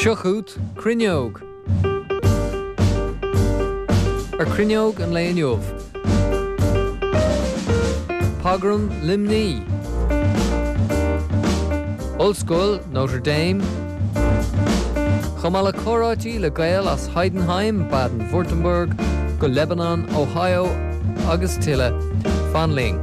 Seo chugat Cruinneog. Ar Cruinneog an lae inniu. Pogram Luimní. Ollscoil Notre Dame. Chomh maith le comhráití le Gaeil as Heidenheim, Baden-Württemberg, go Lebanon, Ohio agus tuilleadh. Fan linn.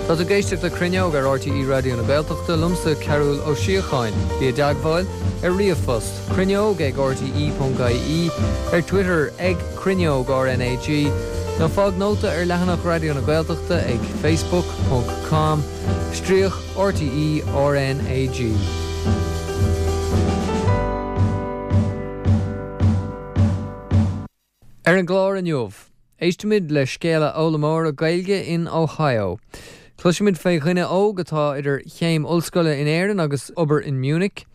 Tá tú ag éisteacht le Cruinneog ar RTÉ Raidió na Gaeltachta, liomsa Cearbhall Ó Síocháin. Bí i dteagmháil ar ríomhphost, cruinneog ag rte.ie, ar Twitter ag cruinneog RnaG, nó fág nóta ar leathanach Raidió na Gaeltachta ag facebook ponc com stríoc RTÉ RnaG. Ar an gclár inniu, éistfimid le scéala foghlaimeora Gaeilge in Ohio. Cloisfimid fé dhuine óg atá idir chéim ollscoile in Éirinn agus obair in Munich.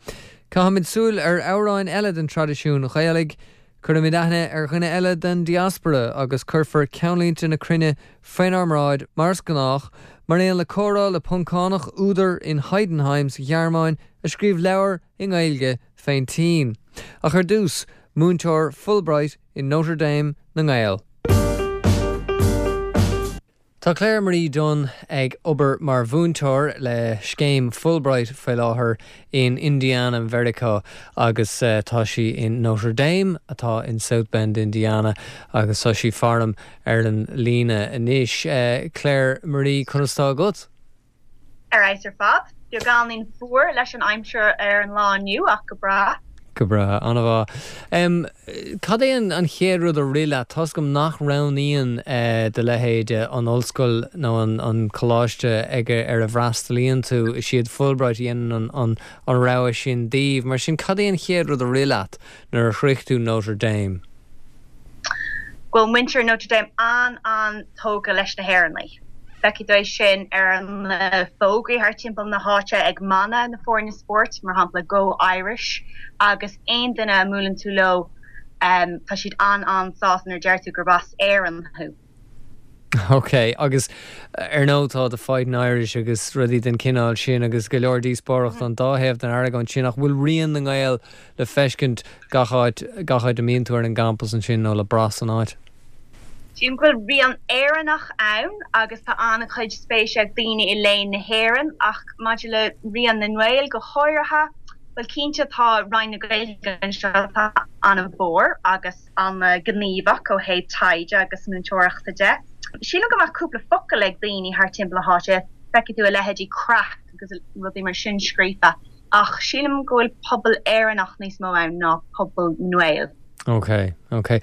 Caithfimid súil ar amhráin eile den traidisiún Ghaelaigh. Cuirfimid aithne ar dhuine eile den diaspora agus cuirfear ceannlínte na cruinne faoinár mbráid mar is gnách, mar aon le comhrá le Poncánach, údar in Heidenheim sa Ghearmáin a scríobh leabhar i nGaeilge fén tSín. Ach ar dtús, múinteoir Fulbright in Notre Dame na nGael. Tá Claire Marie Dunne ag obair mar mhúinteoir le scéim Fulbright faoi láthair in Indiana, Mheiriceá agus tá sí in Notre Dame atá in South Bend, Indiana agus tá sí faram ar an líne anois. Claire Marie, conas tá agat? Ar fheabhas ar fad. Beagáinín fuar leis an aimsir ar an lá inniu ach go breá. Go breá, an-mhaith. Cad é an chéad rud a rith leat? Tá's agam nach roghnaíonn do leithéid an ollscoil nó an coláiste ag ar a bhfreastalaíonn tú, is iad Fulbright a dhéanann an rogha sin daoibh. Mar sin, cad é an chéad rud a rith leat nuair a shroich tú Notre Dame? Go bhfuil muintir Notre Dame an-an-tógtha leis na hÉireannaigh. Feicfidh tú é sin ar na fógraí thart timpeall na háite ag mana na foirne spóirt, mar shampla Go Irish, agus aon duine a mbuaileann tú leo tá siad an-an-sásta nuair a deir tú gurb as Éirinn thú. Ok, agus ar ndóigh tá The Fighting Irish agus rudaí den chineál sin agus go leor díospóireachta an dá thaobh den argóint sin ach bhfuil rian na nGael le feiscint gach áit, gach áit a mbíonn tú ar an gcampas ansin nó le brath san áit? Sílim go bhfuil rian Éireannach ann agus tá an-chuid spéise ag daoine i léann na hÉireann ach maidir le rian na nGael go háirithe, bhuel cinnte tá Roinn na Gaeilge anseo atá an-mhór agus an-ghníomhach ó thaobh taighde agus múinteoireachta de. Sílim go mbeadh cúpla focal ag daoine thart timpeall na háite, feicfidh tú a leithéidí craic agus rudaí mar sin scríofa ach sílim go bhfuil pobal Éireannach níos mó ann ná pobal na nGael. Ok, ok.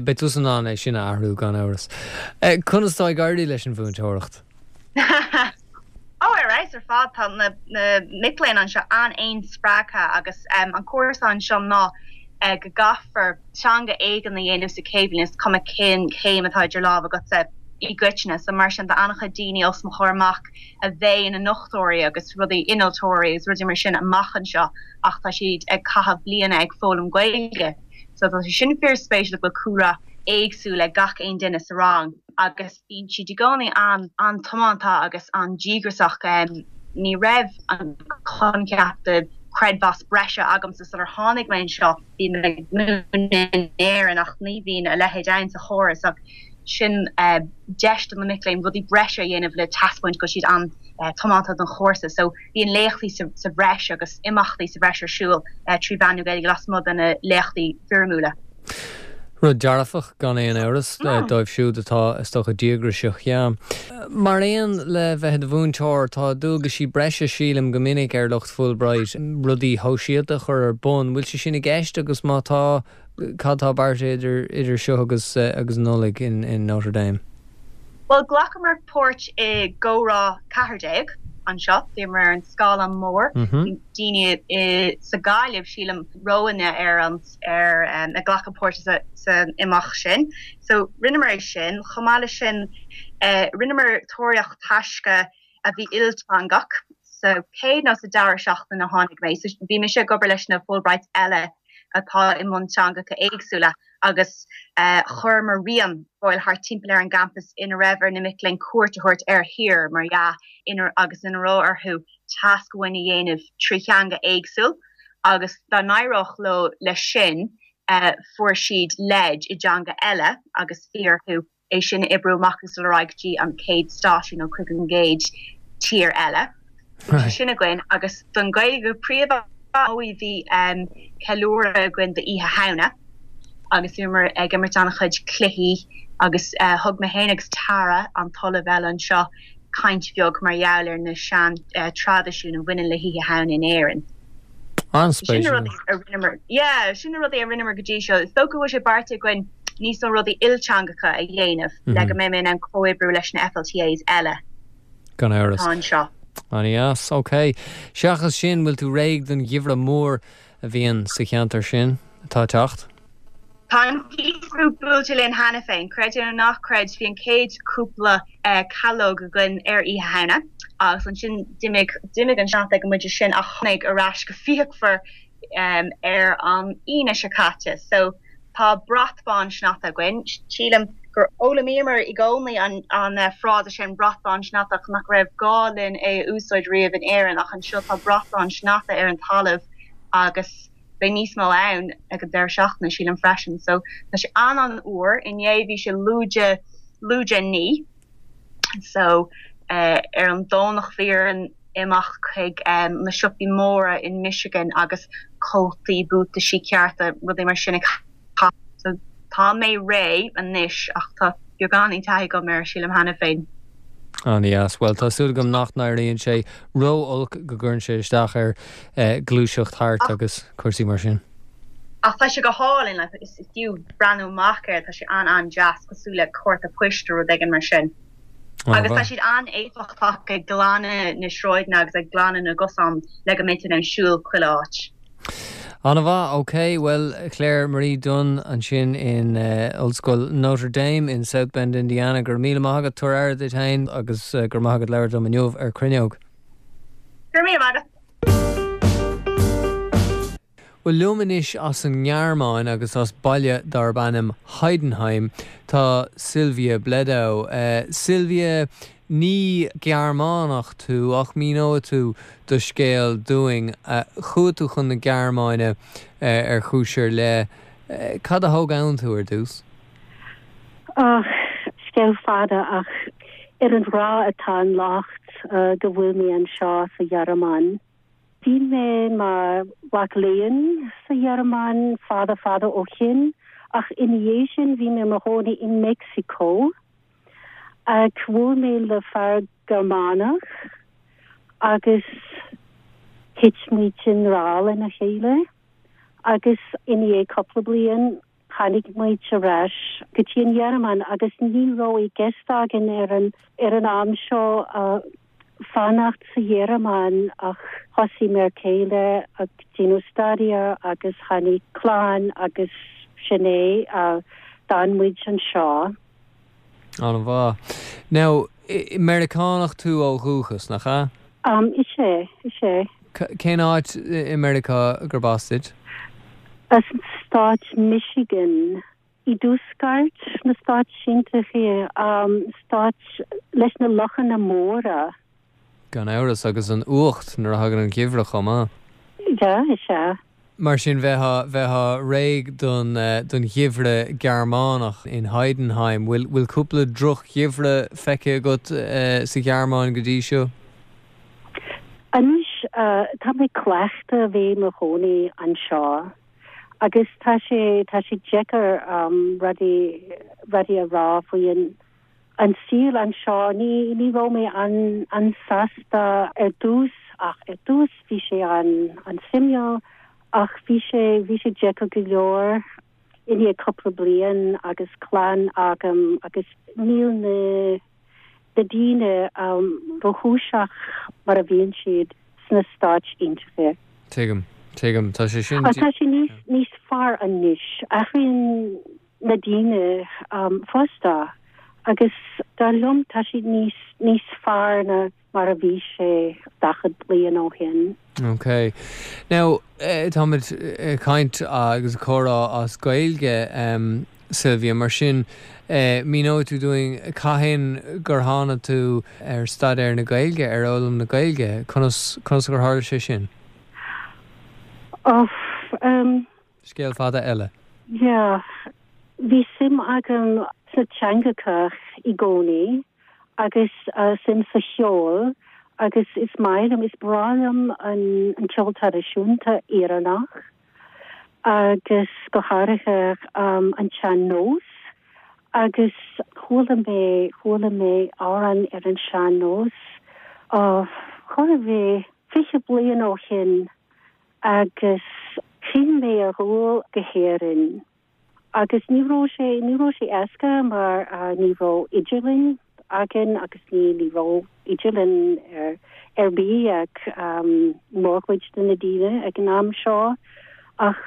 Beidh tusa in ann é sin a athrú gan amhras. Conas tá ag éirí leis an mhúinteoireacht? Ó, ar fheabhas ar fad. Tá na mic léinn anseo an-spreagtha agus an cúrsa anseo ná go gcaithfear teanga éigin a dhéanamh sa chéad bhliain, is cuma cén chéim atá idir lámha agatsa i gcoitinne. So mar sin tá an-chuid daoine os mo chomhair amach a bheidh ina ndochtúirí agus rudaí, innealtóirí agus rudaí mar sin amach anseo. ach tá siad ag caitheamh bliana ag foghlaim Gaeilge so tá sé sin fíor spéisiúil go bhfuil cúlra éagsúil ag gach aon duine sa rang agus bíonn siad i gcónaí an-tiomanta agus an-díograiseach. Ní raibh an coincheap de chreidmheas breise agamsa sular tháinig mé anseo, bhí mé ag múineadh in Éirinn ach ní bhíonn a leithéid ann sa chóras ach sin deis do na mic léinn rudaí breise a dhéanamh le taispeáint go bhfuil siad an-tiomanta don chúrsa. So bíonn léachtaí sa bhreis agus imeachtaí sa bhreis ar siúl trí mheán na Gaeilge lasmuigh de na léachtaí foirmiúla. Rud dearfach, gan aon amhras, dóibh siúd atá, is dócha, díograiseach, yeah. Mar aon le bheith i do mhúinteoir, tá dualgaisí breise, sílim, go minic ar lucht Fulbright, rudaí shóisialta a chur ar bun. Bhfuil sé sin i gceist agus má tá, Cad tá beartaithe idir idir seo agus agus Nollaig in in Notre Dame? Bhuel, ghlacamar páirt i gComhrá 14 anseo. Bhíomar ar an scáileán mór. Bhí daoine i sa Ghaillimh, sílim, romhainne ar an ar ag glacadh páirt sa san imeacht sin. So, rinneamar é sin. Chomh maith leis sin, rinneamar tóraíocht taisce a bhí ilteangach. Sa chéad nó sa dara seachtain a tháinig mé, so bhí mise ag obair leis na Fulbrights eile atá i mbun teangacha éagsúla. Agus chuireamar rian ar fáil thart timpeall ar an gcampas ina raibh ar na mic léinn cuairt a thabhairt ar thír, mar dhea, ina agus ina raibh orthu tasc amháin a dhéanamh tri theanga éagsúil agus dá n-éireodh leo leis sin fuair siad leid i dteanga eile agus bhí orthu é sin a oibriú amach agus dul ar aghaidh go dtí an chéad stáisiún nó chuig an gcéad tír eile. Bhí sé sin againn agus don Ghaeilge go príomha bhí ceiliúradh againn d'Oíche Shamhna agus bhíomar ag imirt an-chuid cluichí agus thug mé féin agus Tara, an t-ollamh eile anseo, caint bheag mar gheall ar na sean traidisiúin a bhaineann le hOíche Shamhna in Éirinn. An-spéisiúil. Sin na rudaí a rinneamar, yeah, sin na rudaí a rinneamar go dtí seo. Is dócha go bhfuil sé beartaithe againn níos mó rudaí ilteangacha a dhéanamh le go mbeidh mé in ann comhoibriú leis na FLTAs eile Gan amhras. atá anseo. An-dheas, ok. Seachas sin, bhfuil tú réidh don gheimhreadh mór a bhíonn sa cheantar sin atá ag teacht? Tá an geimhreadh buailte linn cheana féin, creid é nó ná creid, bhí an chéad chúpla calóg againn ar Oíche Shamhna agus ansin d'imigh, d'imigh an sneachta ag an bpointe sin ach tháinig ar ais go fíochmhar ar an Aoine seo caite. So tá brat bán sneachta againn. Sílim gur fhoghlaimíomar i gcónaí an an frása sin brat bán sneachta ach nach raibh gá linn é a úsáid riamh in Éirinn ach anseo tá brat bán sneachta ar an talamh agus beidh níos mó ann ag an deireadh seachtaine, sílim, freisin. So, tá sé an-an-fhuar. Inné bhí sé lúide, lúide 9. So, ar an Domhnach bhí orainn imeacht chuig na siopaí móra in Michigan agus cótaí, buataisí cearta, rudaí mar sin a cheannach. So, tá mé réidh anois ach tá beagáinín taithí agam air, sílim, cheana féin. An-dheas. Bhuel, tá súil agam nach n-éiríonn sé ró-olc go gcuireann sé isteach ar ghluaiseacht thart agus cúrsaí mar sin. Ach tá sé go hálainn, like, is fiú breathnú amach air, tá sé an-an-deas, cosúil le cárta poist nó rud éigin mar sin. Agus tá siad an-éifeachtach ag glanadh na sráideanna agus ag glanadh na gcosán le go mbeidh tú in ann siúl chuile áit. An-mhaith, ok. Bhuel, Claire Marie Dunne ansin in Ollscoil Notre Dame in South Bend, Indiana, go raibh míle maith agat, tabhair aire duit féin agus go raibh maith agat labhairt liom inniu ar Cruinneog. Go raibh míle maith agat. Bhuel, liom anois as an nGearmáin agus as baile darb ainm Heidenheim tá Sylvia Bledow. Sylvia, Ní Gearmánach tú ach míneoidh tú do scéal dúinn. Chuaigh tú chun na Gearmáine ar chúis ar leith. Cad a thóg ann tú ar dtús? Och, scéal fada ach ar an ghrá atá an locht go bhfuil mé anseo sa Ghearmáin. Bhí mé mar mhac léinn sa Ghearmáin fada fada ó shin ach ina dhiaidh sin bhí mé i mo chónaí i Meicsiceo. Ach bhuail mé le fear Gearmánach agus thit muid i ngrá lena chéile agus i ndiaidh cúpla bliain tháinig muid ar ais go dtí an Ghearmáin agus ní raibh i gceist againn ar an ar an am seo fanacht sa Ghearmáin ach thosaigh m'fhear céile ag déanamh staidéar agus tháinig clann agus sin é, d'fhan muid anseo. An-mhaith. Now, Meiriceánach tú ó dhúchas, nach ea? Is ea, is ea. Cén áit i Meiriceá gurb as duit? As an stát Michigan. I dtuaisceart na Stát Aontaithe, stát leis na lochanna móra. Gan amhras, agus an fhuacht nuair a thagann an geimhreadh chomh maith. Yeah, is ea. Mar sin, bheifeá, bheifeá réidh don, don gheimhreadh Gearmánach in Heidenheim. Bhfuil, bhfuil cúpla droch-gheimhreadh feicthe agat sa Ghearmáin go dtí seo? Anois, tá mé cleachta a bheith i mo chónaí anseo. Agus tá sé, tá sé deacair rudaí, rudaí a rá faoi an, an saol anseo. Ní, ní raibh mé an, an-sásta ar dtús ach ar dtús bhí sé an, an-suimiúil ach bhí sé, bhí sé deacair go leor i ndiaidh cúpla bliain agus clann agam agus níl na, na daoine róchúiseach mar a bhíonn siad sna Stáit Aontaithe. Tuigim. Tuigim. Tá sé sin. Tá sé níos, níos fearr anois. Athraíonn na daoine fosta agus dar liom tá siad níos, níos fearr ná. mar a bhí sé 40 bliain ó shin. Ok. Now, táimid ag caint agus ag comhrá as Gaeilge, Sylvia, mar sin, míneoidh tú dúinn cathain gur tháinig tú ar staidéar na Gaeilge, ar fhoghlaim na Gaeilge? Conas, conas gur tharla sé sin? Oh, um. Scéal fada eile. Yeah. Bhí suim agam sna teangacha i gcónaí agus suim sa cheol agus is maith liom, is breá liom an ceol traidisiúnta Éireannach agus go háirithe an tsean-nós agus chuala mé, chuala mé amhrán ar an sean-nós, oh, chóir a bheith 20 bliain ó shin agus chinn mé a dhul go hÉirinn agus ní raibh sé, ní raibh sé éasca mar ní raibh idirlíon againn agus ní, ní raibh idirlíon ar, ar bith ag mórchuid de na daoine ag an am seo ach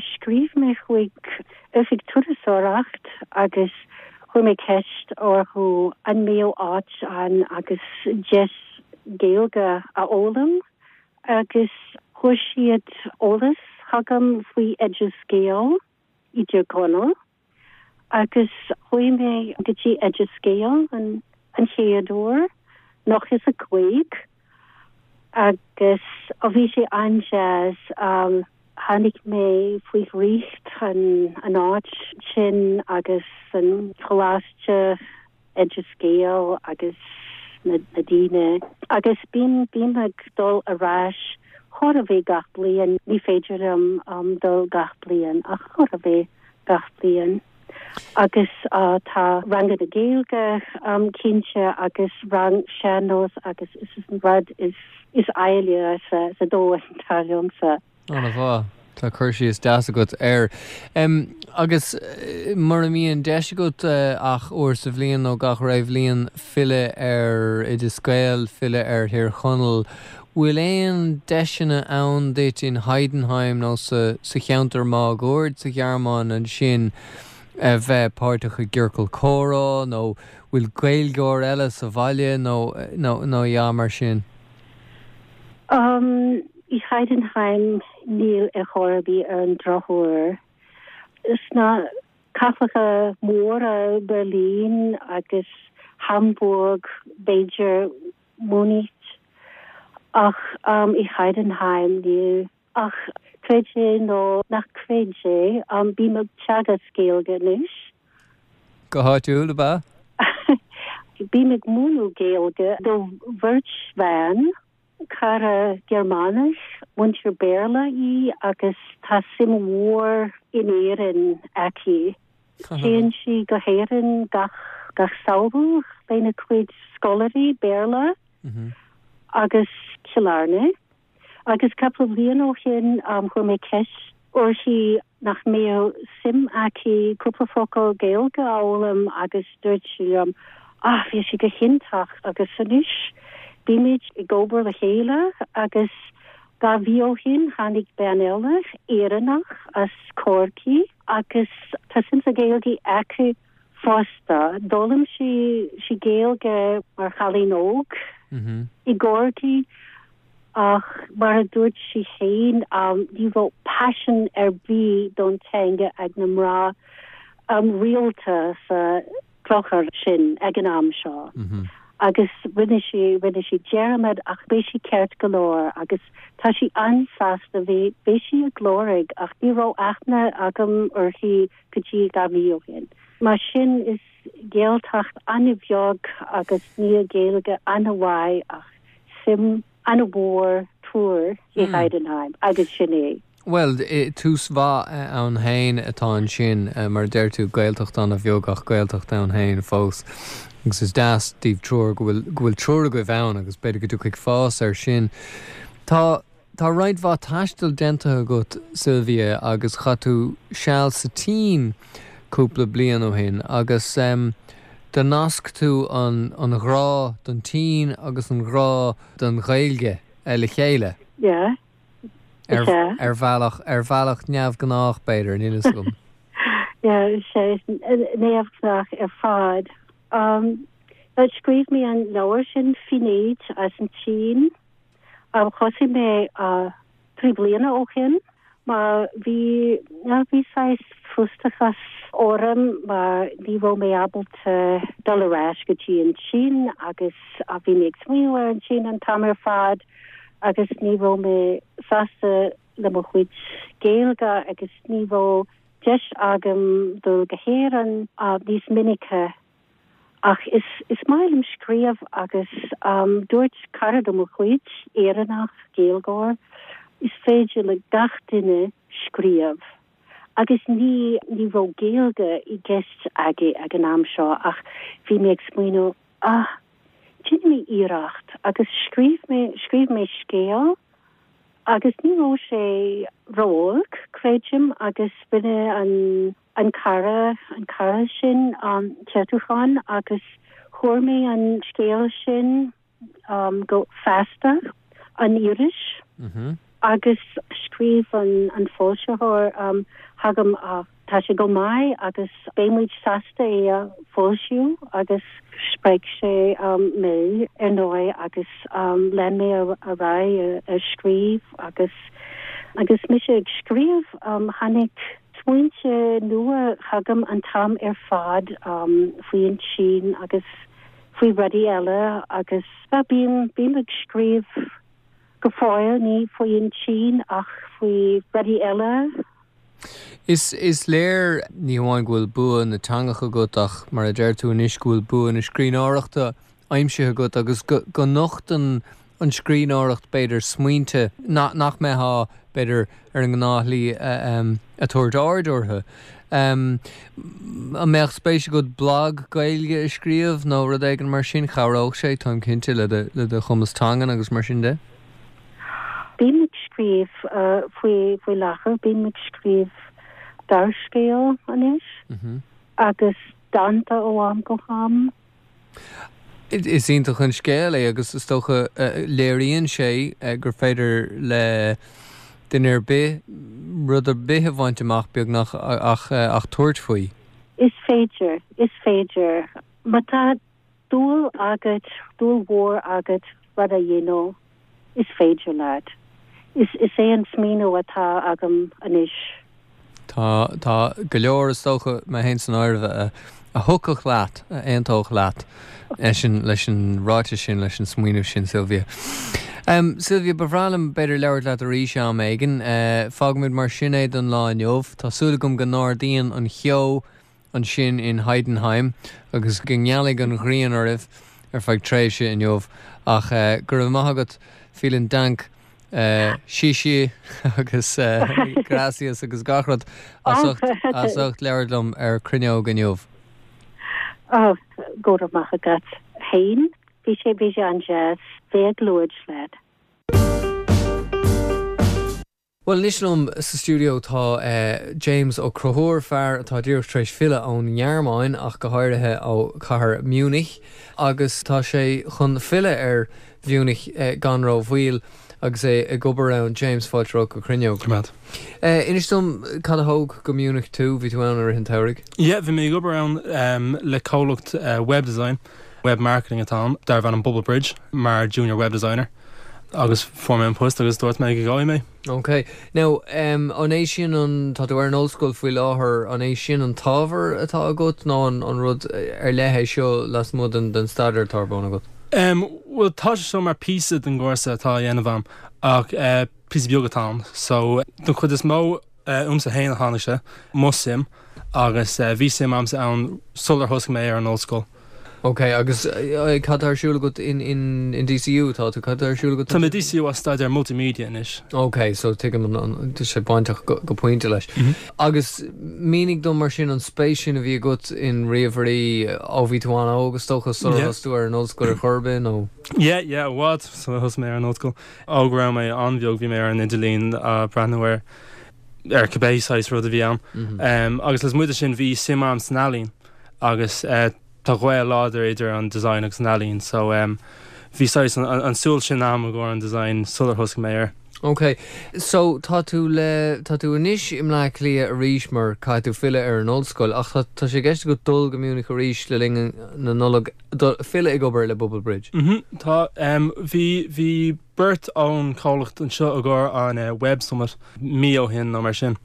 scríobh mé chuig oifig turasóireacht agus chuir mé ceist orthu an mbeadh áit ann agus deis Gaeilge a fhoghlaim. Agus chuir siad eolas chugam faoi Oideas Gael i dTír Chonaill agus chuaigh mé go dtí Oideas Gael an chéad uair, 95, agus bhí sé an-deas. Tháinig mé faoi dhraíocht an áit sin agus an choláiste. Oideas Gael agus na daoine agus bím, bím ag dul ar ais chóir a bheith gach bliain, ní féidir liom dul gach bliain ach chóir a bheith gach bliain. Agus tá ranganna Gaeilge cinnte agus rang sean-nós agus is an rud is is áille sa sa domhan dar liomsa. An-mhaith. Tá cur síos deas agat air. Agus mura mbíonn deis agat ach uair sa bhliain nó gach re bhliain filleadh ar Oideas Gael, filleadh ar Thír Chonaill, bhfuil aon deiseanna ann duit in Heidenheim nó sa cheantar máguaird sa Ghearmáin ansin a bheith páirteach i gciorcal comhrá nó bhfuil Gaeilgeoir eile sa bhaile nó nó a dhath mar sin? I Heidenheim níl ar chor ar bith ar an drochuair. Sna cathracha móra Berlin agus Hamburg b'fhéidir Munich ach i Heidenheim níl. Ach creid é nó nach creid é, bím ag teagasc Gaeilge anois. Go háitiúil, ab ea? Bím ag múineadh Gaeilge do bheirt bhean, cara Gearmánach, múinteoir Béarla í agus tá suim mhór in Éirinn aici. Téann sí go hÉirinn gach gach samhradh lena cuid scoláirí Béarla agus Cill Airne. Agus cúpla bliain ó shin chuir mé ceist uirthi nach mbeadh suim aici cúpla focal Gaeilge a fhoghlaim agus dúirt sí liom ah bhí sé go hiontach agus anois bímid ag obair le chéile agus 2 mhí ó shin tháinig bean eile, Éireannach as Corcaigh agus tá suim sa Ghaeilge aici fosta. D'fhoghlaim sí sí Gaeilge mar chailín óg i gCorcaigh ach mar a dúirt sí féin ní raibh paisean ar bith don teanga ag na mná rialta sa chlochar sin ag an am seo. Agus rinne sí rinne sí dearmad ach beidh sí ceart go leor agus tá sí an-sásta bhí bhí sí ag lorg ach ní raibh aithne agam uirthi go dtí 2 mhí ó shin. Mar sin is Gaeltacht an-bheag agus níl Gaeilge an-mhaith ach suim an-mhór triúr i Heidenheim agus sin é. Bhuel, tús mhaith ann féin atá ansin, mar a deir tú, Gaeltacht an-bheag ach Gaeltacht ann féin fós. Agus is deas daoibh triúr go bhfuil go bhfuil triúr agaibh ann agus b'fhéidir go dtiocfaidh fás air sin. Tá Tá roinnt mhaith taistil déanta agat, Sylvia, agus chaith tú seal sa tSín cúpla bliain ó shin agus do nasc tú an an ghrá don tSín agus an ghrá don Ghaeilge le chéile. Yeah. Ar ar bhealach ar bhealach neamhghnách b'fhéidir, níl fhios agam. Yeah, sé neamhghnách ar fad. Scríobh mé an leabhar sin, Fínéad as an tSín. Thosaigh mé 3 bliana ó shin mar bhí, bhí saghas frustrachas orm mar ní raibh mé ábalta dul ar ais go dtí an tSín agus bhí mé ag smaoineamh ar an tSín an t-am ar fad agus ní raibh mé sásta le mo chuid Gaeilge agus ní raibh deis agam dul go hÉirinn níos minice. Ach is is maith liom scríobh agus dúirt cara de mo chuid, Éireannach, Gaeilgeoir, is féidir le gach duine scríobh. Agus ní ní raibh Gaeilge i gceist aige ag an am seo ach bhí mé ag smaoineamh, ah, déanfaidh mé iarracht agus scríobh mé scríobh mé scéal agus ní raibh sé ró-olc, creidim, agus rinne an an cara, an cara sin ceartúchán agus chuir mé an scéal sin go Feasta, an iris, agus scríobh an foilsitheoir chugam tá sé go maith agus beidh muid sásta é a foilsiú agus spreag sé mé ar ndóigh agus lean mé ar aghaidh ag scríobh agus agus mise ag scríobh tháinig Smaointe nua chugam an t-am ar fad faoi an tSín agus faoi rudaí eile agus bím, bím ag scríobh go fóill, ní faoi an tSín ach faoi rudaí eile. Is, is léir ní hamháin go bhfuil bua na teangacha agat ach mar a deir tú anois go bhfuil bua na scríbhneoireachta aimsithe agat agus go, go nochtann an scríbhneoireacht, b'fhéidir, smaointe nach mbeifeá, b'fhéidir, ar an ngnáthshlí ag tabhairt aird orthu. An mbeadh spéis agat blag Gaeilge a scríobh nó rud éigin mar sin? Chabhródh sé, táim cinnte, le do chumas teangan agus mar sin de. Bím ag scríobh faoi faoi láthair, bím ag scríobh gearrscéal anois agus dánta ó am go ham. Is iontach an scéal é agus is dócha léiríonn sé gur féidir le duine ar bith rud ar bith a bhaint amach beagnach ach ach tabhairt faoi. Is féidir, is féidir. Má tá dúil agat, dúil mhór agat rud a dhéanamh, is féidir leat. Is is é an smaoineamh atá agam anois. Tá, tá go leor, is dócha, mé féin san áireamh, a, a thiocfadh leat, a aontódh leat leis an, leis an ráiteas sin, leis an smaoineamh sin, Sylvia. Sylvia, ba bhreá liom, b'fhéidir, labhairt leat arís am éigin. Fágfaimid mar sin é don lá inniu. Tá súil agam go n-ardaíonn an cheo ansin in Heidenheim agus go ngealfaidh an ghrian oraibh ar feadh tréimhse inniu. Ach go raibh maith agat, vielen Dank, xie xie agus gracias agus gach rud as ucht as ucht labhairt liom ar Cruinneog inniu. Oh, go raibh maith agat féin. Bhí sé bhí sé an-deas bheith ag labhairt leat. Bhuel, anois liom sa stiúideo tá James Ó Conchúir, fear atá díreach tar éis filleadh ón nGearmáin, ach go háirithe ó chathair Munich, agus tá sé chun filleadh ar Mhunich gan ró-mhoill agus é ag obair ann. James, fáilte romhat go Cruinneog. Go raibh maith. Inis dom cad a thóg go Munich tú, bhí tú ann i rith an tsamhraidh? Yeah, bhí mé ag obair ann le comhlacht web design, web marketing atá ann, darbh ainm Bubble Bridge, mar junior web designer. Agus fuair mé an post agus dúirt mé go gabhfaidh mé. Ok. Now, an é sin an, tá tú ar an ollscoil faoi láthair, an é sin an t-ábhar atá agat nó an rud ar leith é seo lasmuigh den den staidéar atá ar bun agat? Bhuel, tá sé seo mar píosa den gcúrsa atá á dhéanamh agam ach píosa beag atá ann. So, don chuid is mó, Uaimse féin a tháinig sé, mo suim, agus bhí suim a'msa ann sular thosaigh mé ar an ollscoil. Ok, agus cad tá ar siúl agat in in DCU atá tú, cad tá ar siúl agat Tá mé i DCU ag staidéar multimedia anois. Ok, so tuigim an tá sé bainteach go go pointe leis. Agus mínigh dom mar sin an spéis sin a bhí agat in ríomhairí ó bhí tú an-óg is dócha sular thosaigh tú ar an ollscoil ar chor ar bith nó? Yeah, yeah, i bhfad sular thosaigh mé ar an ollscoil. Ó go raibh mé an-bheag bhí mé ar an idirlíon ag breathnú ar ar cibé saghas rud a bhí ann. Agus lasmuigh de sin bhí suim a'm san ealaín agus tá gaol láidir idir an design agus an ealaín so bhí saghas an súil sin a'm i gcomhair an design sular thosaigh mé air. Ok. So, tá tú le, tá tú anois i mBleá Cliath arís mar caithfidh tú filleadh ar an ollscoil ach tá, tá sé i gceist agat dul go Munich arís le linn na Nollag, dul, filleadh ag obair le Bubble Bridge. Mhm, tá. Bhí, bhí beirt ón chomhlacht anseo i gcomhair an Web Summit mí ó shin nó mar sin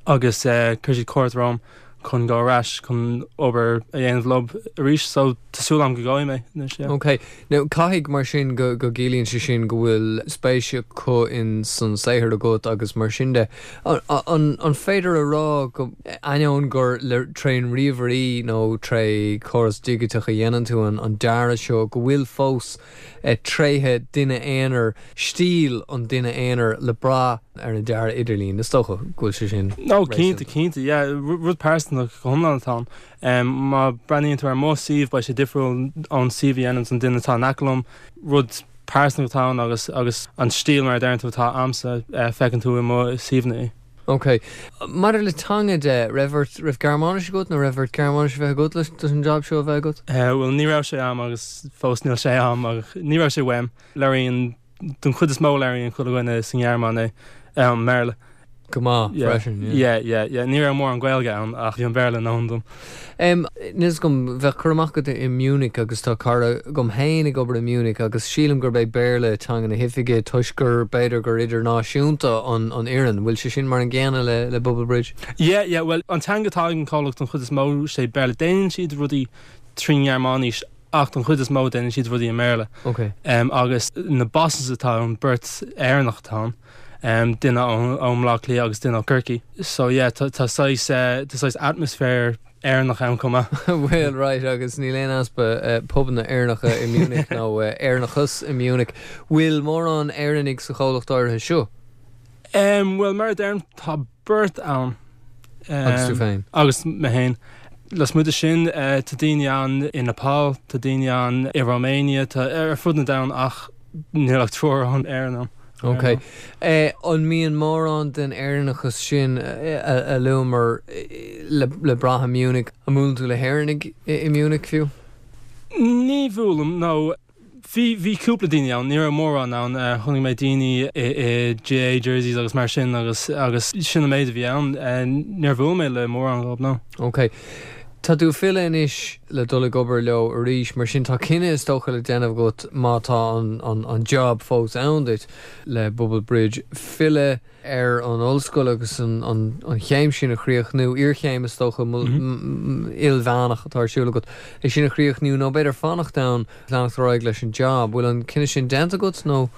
agus chuir siad cuairt romham chun dul ar ais chun obair a dhéanamh leo arís so tá súil agam go gabhfaidh mé anois, yeah. Ok. Now caithfidh mar sin go go gciallaíonn sé sin go bhfuil spéis acu in san saothar agat agus mar sin de. An an an féidir a rá go ainneoin gur le trén ríomhairí nó tré chóras digiteach a dhéanann tú an an dearadh seo go bhfuil fós tréithe duine aonair, stíl an duine aonair le brath ar an dearadh idirlín. Is dócha go bhfuil sé sin No, cinnte, cinnte, yeah. Rud pearsanta go hiomlán atá ann. Má breathnaíonn tú ar mo suíomh, beidh sé difriúil ón suíomh a dhéanann an duine atá in aice liom. Rud pearsanta atá ann agus agus an stíl mar a deireann tú atá a'msa, feiceann tú i mo suíomhanna í. Ok. Maidir le teanga de, raibh ort, raibh Gearmáinis agat nó raibh ort Gearmáinis a bheith agat leis an jab seo a bheith agat? Bhuel, ní raibh sé a'm agus fós níl sé a'm ach ní raibh sé uaim. Labhraíonn, don chuid is mó labhraíonn chuile dhuine sa nGearmáin é, an mBéarla. Go maith freisin, yeah. Yeah, yeah, yeah. Ní raibh mórán Gaeilge ann ach bhí an Béarla i ndóthain dom. Níl fhios agam, bheadh cur amach agat i Munich agus tá cara agam féin ag obair i Munich agus sílim gurb é Béarla teanga na hoifige toisc gur, b'fhéidir gur idirnáisiúnta an fhoireann. Bhfuil sé sin mar an gcéanna le le Bubble Bridge? Yeah, yeah, bhuel an teanga atá ag an comhlacht don chuid is mó sé Béarla. Déanann siad rudaí trí nGearmáinis ach don chuid is mó déanann siad rudaí i mBéarla. Ok. Agus na bosses atá ann, beirt Éireannach atá ann. Duine ó mBleá Cliath agus duine ó Chorcaigh. So yeah, tá saghas, tá saghas atmaisféar Éireannach ann chomh maith. Bhuel, right, agus níl aon easpa pubanna Éireannacha i Munich nó Éireannachas i Munich. Bhfuil mórán Éireannaigh sa chomhlacht áirithe seo? Bhuel, mar a deirim, tá beirt ann. Agus tú féin? Agus mé féin. Lasmuigh de sin, tá daoine ann i Nepal, tá daoine ann i Romania, tá ar fud na domhan ach níl ach triúr ón Éirinn ann. Ok. An mbíonn mórán den Éireannachas sin a luamar le brath i Munich? An mbuaileann tú le hÉireannaigh i Munich fiú? Ní bhuailim, no. Bhí, bhí cúpla daoine ann, ní raibh mórán ann. Chonaic mé daoine i, i GAA jerseys agus mar sin agus, agus sin an méid a bhí ann. Níor bhuail mé le mórán dhóibh, no. Ok. Tá tú ag filleadh anois le dul ag obair leo arís, mar sin tá cinneadh is dócha le déanamh agat má tá an, an, an job fós ann duit le Bubble Bridge, filleadh ar an ollscoil agus an chéim sin a chríochnú, iarchéim is dócha, ilmheánach atá ar siúl agat, é sin a chríochnú nó b'fhéidir fanacht ann, leanacht ar aghaidh leis an job. Bhfuil an cinneadh sin déanta agat nó?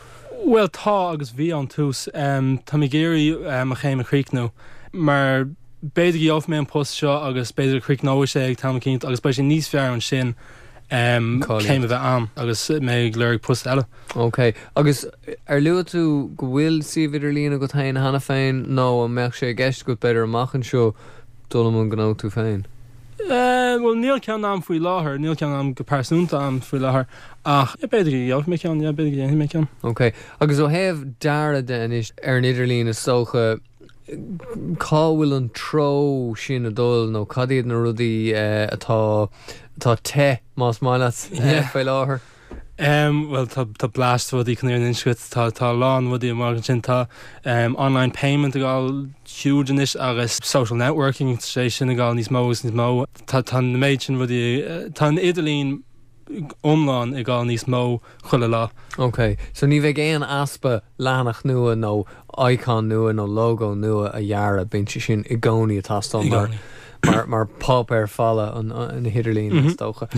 Bhuel tá agus bhí ón tús. Tá mé ag iarraidh mo chéim a chríochnú mar b'fhéidir go gheobhaidh mé an post seo agus b'fhéidir go gcríochnóidh sé ag t-am eicínt agus beidh sé níos fearr ansin céim a bheith a'm agus mé ag lorg post eile. Ok. Agus ar luaigh tú go bhfuil suíomh idirlín agat féin cheana féin nó an mbeadh sé i gceist agat b'fhéidir amach anseo dul i mbun gnó tú féin? Bhuel níl ceann a'm faoi láthair, níl ceann a'm go pearsanta a'm faoi láthair ach b'fhéidir go gheobhaidh mé ceann, yeah b'fhéidir go dhéanfaidh mé ceann. Ok. Agus ó thaobh dearadh de anois ar an idirlíon is dócha, cá bhfuil an treo sin ag dul nó cad iad na rudaí atá atá te más maith leat faoi láthair? Bhuel tá tá blast rudaí chun an fhírinne a inse duit, tá tá a lán rudaí amach ansin, tá online payment ag dul huge anois agus social networking, tá sé sin ag dul níos mó agus níos mó. Tá tá an méid sin rudaí, tá an idirlíon iomlán ag dul níos mó chuile lá. Ok, so ní bheidh aon easpa leathanach nua nó icon nua nó logo nua a dhearadh, bíonn sé sin i gcónaí ag teastáil mar mar mar páipéar falla an an idirlín is dócha.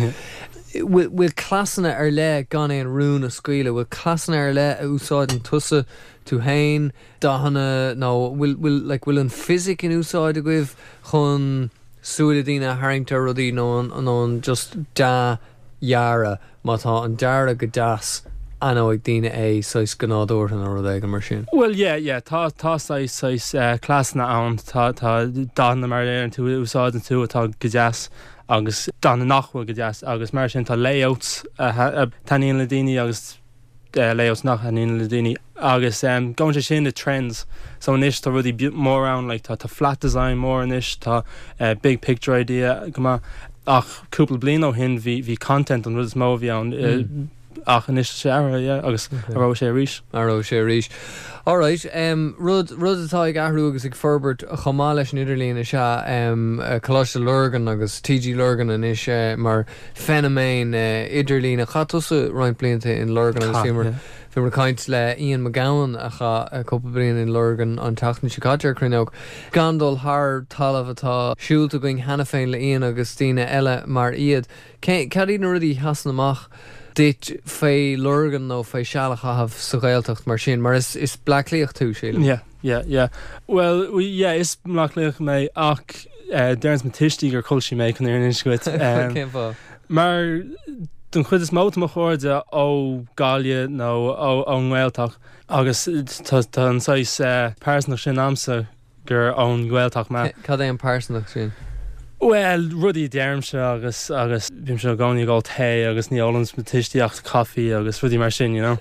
Bhfuil bhfuil cleasanna ar leith gan aon rún a scaoileadh, bhfuil cleasanna ar leith a úsáideann tusa, tú féin, dathanna nó bhfuil bhfuil like bhfuil an fisic in úsáid agaibh chun súile daoine a tharraingt ar rudaí nó an nó an just dea-dhearadh, má tá an dearadh go deas aithneoidh daoine é saghas go nádúrtha nó rud éigin mar sin. Bhuel yeah yeah tá tá saghas saghas eh cleasanna ann tá tá dathanna mar a deireann tú a úsáideann tú atá go deas agus dathanna nach bhfuil go deas agus mar sin tá layouts a a thaitníonn le daoine agus layouts nach thaitníonn le daoine agus gabhann sé sin le trends so anois tá rudaí mór ann like tá tá flat design mór anois tá big picture idea go maith ach cúpla bliain ó shin bhí bhí content an rud is mó a bhí ann. Ach anois tá sé athraithe, yeah, agus athróidh sé arís. Athróidh sé arís. Alright, rud, rud atá ag athrú agus ag forbairt chomh maith leis an idirlíon is ea Coláiste Lurgan agus TG Lurgan anois mar feiniméan idirlíne. Chaith tusa roinnt blianta in Lurgan agus bhíomar, bhíomar ag caint le Ian McGowan a chaith cúpla bliain in Lurgan an tseachtain seo caite ar Cruinneog. Gan dul thar talamh atá siúlta againn cheana féin le Ian agus daoine eile mar iad. Cé, cad iad na rudaí a sheasann amach duit fé Lurgan nó fé seal a chaitheamh sa Ghaeltacht mar sin? Mar is, is Bleá Cliathach tú, sílim. Yeah, yeah, yeah. Bhuel, yeah, is Bleá Cliathach mé ach eh, deireanns mo tuistí gur Culchie mé chun an fhírinne a insint dhuit. Cén fáth? Mar don chuid is mó tá mo chairde ó Gaillimh nó ó, ón nGaeltacht agus tá, tá an saghas eh, pearsantacht sin a'msa gur ón nGaeltacht mé. Cad é an pearsantacht sin? Bhuel, rudaí a deirimse agus agus bímse i gcónaí ag ól tae agus ní ólanns mo tuistí ach coffee agus rudaí mar sin, you know.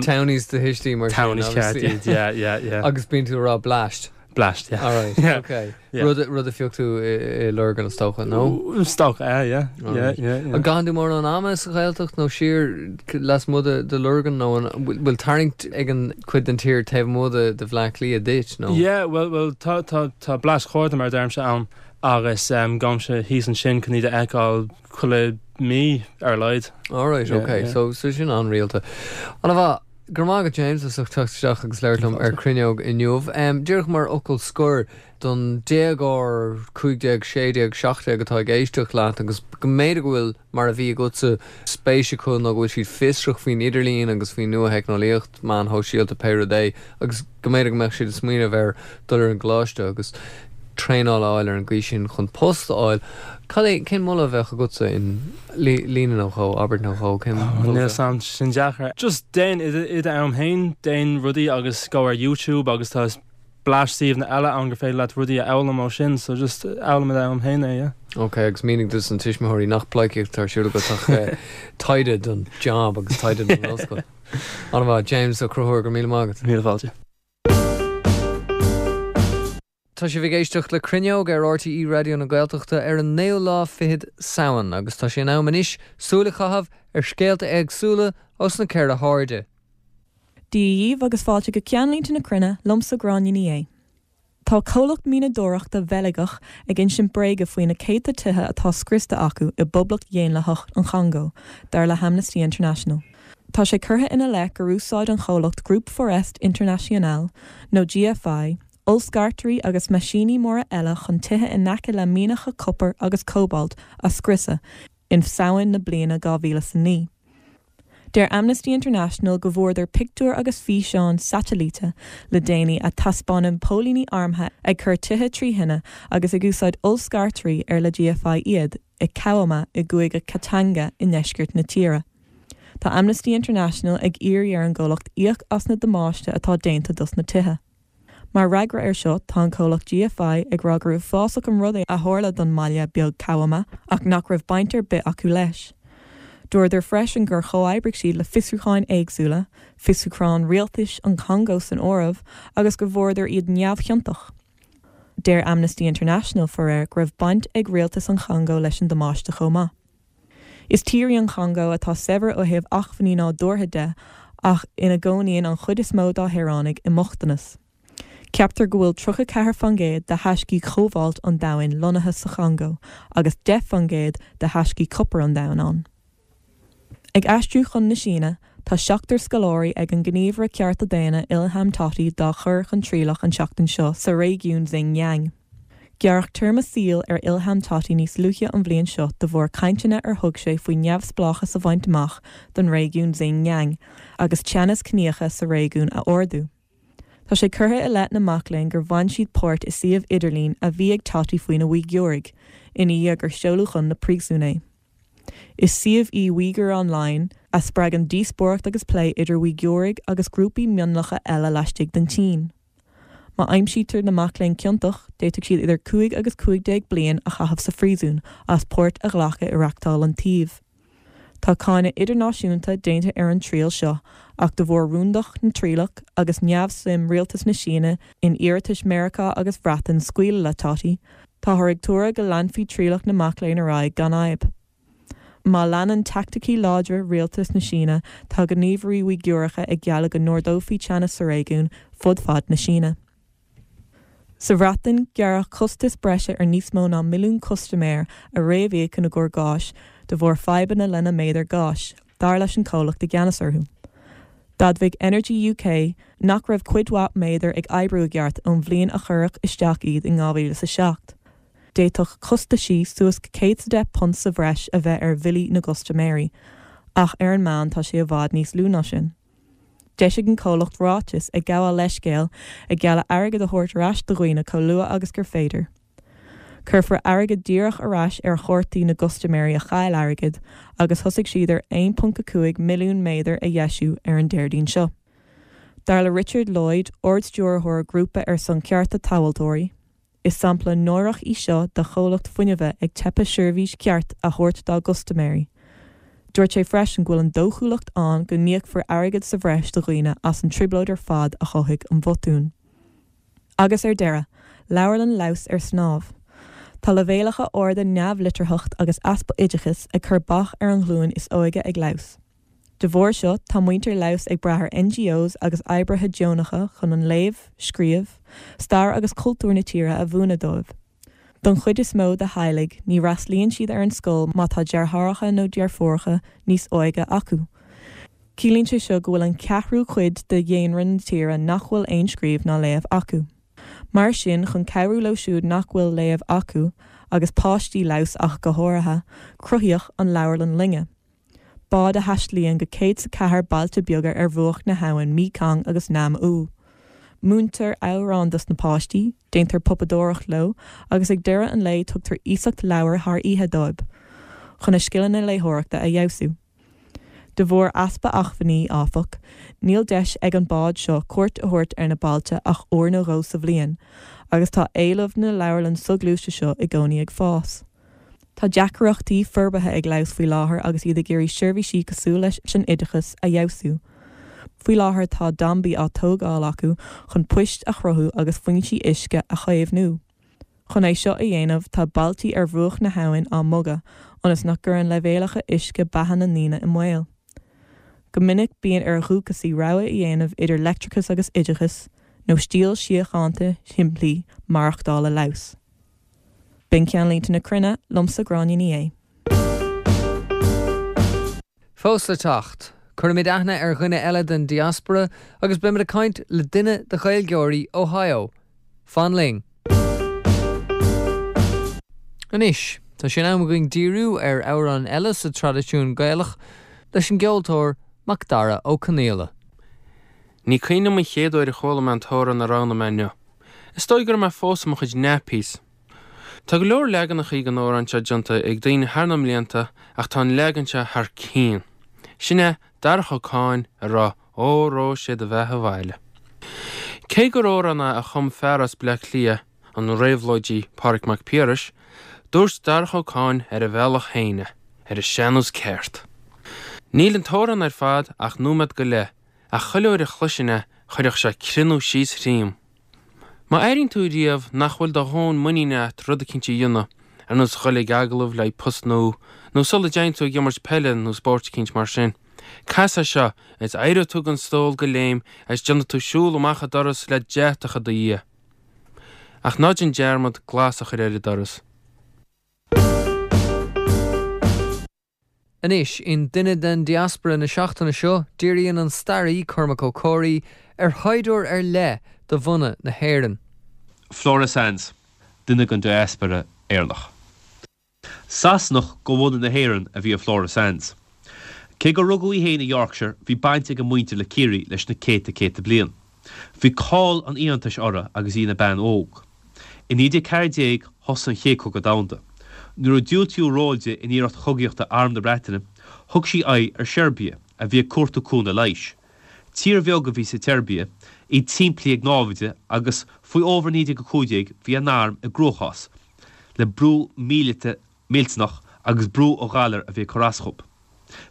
Townies do thuistí mar sin, Townies ceart iad, yeah, yeah, yeah. Agus bíonn tú ag rá bleaist. Bleaist, yeah. Alright, yeah. ok. Yeah. Rud, rud a phioc tú i, i Lurgan is dócha, nó? Is dócha, yeah, yeah, yeah, yeah, yeah. An gcaitheann tú mórán ama sa Ghaeltacht nó siar lasmuigh de, de Lurgan nó an bhfuil tarraingt ag an cuid den tír taobh amuigh de, de Bhleá Cliath duit, nó? Yeah, well, well, tá, tá, tá bleaist chairde mar a deirimse ann agus um, gabhaimse thíos ansin chun iad a fheiceáil chuile mí ar a laghad. Alright, Yeah, ok. yeah. So, so sin an-rialta. An-mhaith. Go raibh maith agat James as ucht teacht isteach agus labhairt liom ar Cruinneog inniu. Díreach mar fhocal scoir, don déagóir 15, 16, 17 atá ag éisteacht leat agus go mb'fhéidir go bhfuil, mar a bhí agatsa, spéis acu nó go bhfuil siad fiosrach faoin idirlíon agus faoin nua-theicneolaíocht, meáin shóisialta, pé rud é, agus go mb'fhéidir go mbeadh siad ag smaoineamh ar dul ar an gcoláiste agus traenáil a fháil ar an gcaoi sin chun post a fháil. Cad é, cén moladh a bheadh agatsa in líne nó dhó, abairt nó dhó, cén moladh a bheadh? Níl 's a'm, sin deacair. Just déan i d'am féin, déan rudaí agus gabh ar YouTube agus tá bleaist suíomhanna eile ann gur féidir leat rudaí a fhoghlaim ó sin, so just fhoghlaim i d'am féin é, yeah. Ok, agus mínigh dos na tuismitheoirí nach pleidhcíocht atá ar siúl agat ach taighde don job agus taighde don ollscoil. An-mhaith, James Ó Conchúir, go raibh míle maith agat. Míle fáilte. Tá sibh ag éisteacht le Cruinneog ar RTÉ Raidió na Gaeltachta ar an naoú lá fichead Samhain agus tá sé in am anois súil a chaitheamh ar scéalta éagsúla ós na ceithre hairde. Dia dhaoibh agus fáilte go Ceannlínte na Cruinne liomsa Gráinne Ní Aodha. Tá comhlacht mianadóireachta Bheilgeach ag insint bréaga faoi na céadta tithe atá scriosta acu i bPoblacht Dhaonlathach an Chongó, dar le hAmnesty International. Tá sé curtha ina leith gur úsáid an chomhlacht Groupe Forest International, nó GFI, ollscartairí agus meaisíní móra eile chun tithe in aice le mianacha copair agus cóbailt a scriosadh in Samhain na bliana 2009. Deir Amnesty International go bhfuaireadar pictiúir agus físeáin satailíte le déanaí a taispeánann póilíní armtha ag cur tithe trí thine agus ag úsáid ollscartairí ar le GFI iad i Kawama i gcúige Katanga i ndeisceart na tíre. Tá Amnesty International ag iarraidh ar an gcomhlacht íoc as na damáiste atá déanta dos na tithe. Mar fhreagra air seo, tá an comhlacht GFI ag rá gur uafásach an rud é a tharla don mbaile beag Kawama ach nach raibh baint ar bith acu leis. Dúradar freisin gur chomhoibrigh siad le fiosrúcháin éagsúla, fiosrúchán rialtais an Chongó san áireamh, agus go bhfuaireadar iad neamhchiontach. Deir Amnesty International, faraor, go raibh baint ag rialtas an Chongó leis an damáiste chomh maith. Is tír í an Chongó atá saibhir ó thaobh acmhainní nádúrtha de ach ina gcónaíonn an chuid is mó dá shaoránaigh i mbochtanas. Ceaptar go bhfuil 34 fan gcéad de thaiscí chóbailt an domhain lonnaithe sa Chongó agus 10 fan gcéad de thaiscí copair an domhain ann. Ag aistriú chun na Síne, tá seachtar scoláirí ag an ngníomhaire cearta daonna Ilham Tohti dá chur chun trialach an tseachtain seo sa réigiún Xinjiang. Gearradh téarma saoil ar Ilham Tohti níos luaithe an bhliain seo de bharr cainteanna ar thug sé faoi neamhspleáchas a bhaint amach don réigiún Xinjiang agus teannas ciníocha sa réigiún a ardú. Tá sé curtha i leith na mac léinn gur bhain siad páirt i suíomh idirlín a bhí ag Tohti faoi na Uigiúraigh, ina dhiaidh gur seoladh chun na príosún é. Is suíomh í Uyghur Online a spreagann díospóireacht agus plé idir Uigiúraigh agus grúpaí mionlacha eile laistigh den tSín. Má aimsítear na mac léinn ciontach, d'fhéadfadh siad idir 5 agus 15 bliain a chaitheamh sa phríosún as páirt a ghlacadh i reachtáil an tsuímh. Tá cáineadh idirnáisiúnta déanta ar an triail seo ach de bharr rúndacht na trialach agus neamhshuim rialtas na Síne in iarratais Meiriceá agus Bhreatain scaoileadh le Tohti, táthar ag tuaradh go leanfaí trialach na mac léinn ar aghaidh gan fhadhb. Má leanann teaicticí láidre rialtas na Síne, tá gníomhairí Uigiúracha ag gealladh go n-ardófaí teannas sa réigiún fud fad na Síne. Sa Bhreatain, gearradh costas breise ar níos mó ná milliún custaiméir a réamhíocann a gcur gáis de bharr fadhbanna lena méadair gáis, dar leis an comhlacht i gceannas orthu. D'admhaigh Energy UK nach raibh cuid mhaith méadar ag oibriú i gceart ón bhliain a cuireadh isteach iad in 2007. D'fhéadfadh costaisí suas go £110 sa bhreis a bheith ar bhillí na gcustaiméirí, ach ar an meán tá sé i bhfad níos lú ná sin. D'eisigh an comhlacht ráiteas ag gabháil leithscéil, ag gealladh airgead a thabhairt ar ais do dhaoine chomh luath agus gur féidir. Cuirfear airgead díreach ar ais ar chártaí na gcustaiméirí a chaill airgead agus thosaigh siad ar 1.5 milliún méadar a dheisiú ar an Déardaoin seo. Dar le Richard Lloyd, Ard-Stiúrthóir Grúpa ar son Cearta Tomhaltóirí, Is sampla náireach í seo de chomhlacht fuinnimhe ag teipeadh seirbhís cheart a thabhairt dá gcustaiméirí. Dúirt sé freisin go bhfuil an dóchúlacht ann go n-íocfar airgead sa bhreis do dhaoine as an trioblóid ar fad a chothaigh an botún. Agus ar deireadh, Leabharlann Laos ar snámh. Tá leibhéalacha arda neamhlitearthacht agus easpa oideachais ag cur bac ar an ghlúin is óige ag Laos. De bharr seo, tá muintir Laos ag brath ar NGOs agus oibrithe deonacha chun an léamh, scríobh, stair agus cultúr na tíre a mhúineadh dóibh. Don chuid is mó de theaghlaigh, ní fhreastlaíonn siad ar an scoil má tá deartháireacha nó deirfiúracha níos óige acu. Ciallaíonn sé seo go bhfuil an ceathrú cuid de dhaonra na tíre nach bhfuil aon scríobh ná léamh acu. Mar sin, chun cabhrú leo siúd nach bhfuil léamh acu, agus páistí Laos ach go háirithe, cruthaíodh an Leabharlann Loinge. Bád a thaistlíonn go 104 bailte beaga ar bhruach na habhann Mekong agus Nam Ou. Múintear amhráin dos na páistí, déantar pupadóireacht leo agus ag deireadh an lae tugtar iasacht leabhar thar oíche dóibh chun a scileanna léitheoireachta a fheabhsú. De bharr easpa acmhainní, áfach, níl deis ag an bád seo cuairt a thabhairt ar na bailte ach uair nó dhó sa bhliain agus tá éileamh na leabharlann soghluaiste seo i gcónaí ag fás. Tá deacrachtaí forbartha ag Laos faoi láthair agus iad ag iarraidh seirbhísí cosúil leis an oideachas a fheabhsú. Faoi láthair tá dambaí á tógáil acu chun poist a chruthú agus foinsí uisce a chaomhnú. Chun é seo a dhéanamh tá bailtí ar bhruach na habhann á mbogadh ionas nach gcuireann leibhéalacha uisce beatha na ndaoine i mbaol. Go minic bíonn ar dhúchasaigh rogha a dhéanamh idir leictreachas agus oideachas, nó stíl síochánta shimplí maireachtála Laos. B'in Ceannlínte na Cruinne, liomsa Gráinne Ní Aodha. Fós le teacht, cuirfimid aithne ar dhuine eile den diaspora agus beimid ag caint le duine de Ghaeilgeoirí Ohio. Fan linn! Anois, tá sé in am againn díriú ar amhrán eile sa traidisiún Gaelach leis an gceoltóir Macdara Ó Conaola. Ní cuimhin liom an chéad uair a chuala mé an t-amhrán a roghnaigh mé inniu. Is dóigh go raibh mé fós i mo chuid nappies. Tá go leor leaganachaí den amhrán seo déanta ag daoine thar na mblianta ach tá an leagan seo thar cionn. Sin é Darach Ó Cadhain ag rá Óró sé do bheatha abhaile. Cé gur amhrán é a chum fear as Bleá Cliath, an réabhlóidí Pádraig Mac Piarais, dúirt Darach Ó Cadhain ar a bhealach féin é, ar an sean-nós ceart. Níl an t-amhrán ar fad ach nóiméad go leith Ach chuile uair a chloisinn é, chuirfeadh sé crionnadh síos thríom. Má airíonn tú riamh nach bhfuil do dhóthain muiníne a't rud eicínt a dhéanamh, ar nós dhul ag agallamh le haghaidh post nua, nó sula dtéann tú ag imirt peile nó spóirt eicínt mar sin, cas é seo is éireoidh tú den stól de léim agus déanfaidh tú siúl amach an doras le deatach i do dhiaidh. Ach ná déan dearmad glas a chur ar an doras. Anois, in Duine den Diaspora na seachtaine seo, díríonn an staraí Cormac Ó Comhraí ar shaighdiúir ar leith de bhunadh na hÉireann. Flora Sands, duine den diaspora Éireannach. Sasanach de bhunadh na hÉireann a bhí i Flora Sands. Cé gur rugadh í féin i Yorkshire, bhí baint ag a muintir le Ciarraí leis na céadta céadta bliain. Bhí cáil an fhiántais uirthi agus í ina bean óg. I 1914 thosaigh an Chéad Chogadh Domhanda. Nuair a diúltaíodh ról di in iarracht chogaíochta Arm na Breataine, thug sí aghaidh ar Seirbia, a bhí ag cuartú cúnamh leighis. Tír bheag a bhí sa tSeirbia, í timplithe ag námhaid agus faoi fhómhar 1915 bhí a n-arm i gcruachás le brú míleata millteanach agus brú ó ghalair a bhí ag cur as dhób.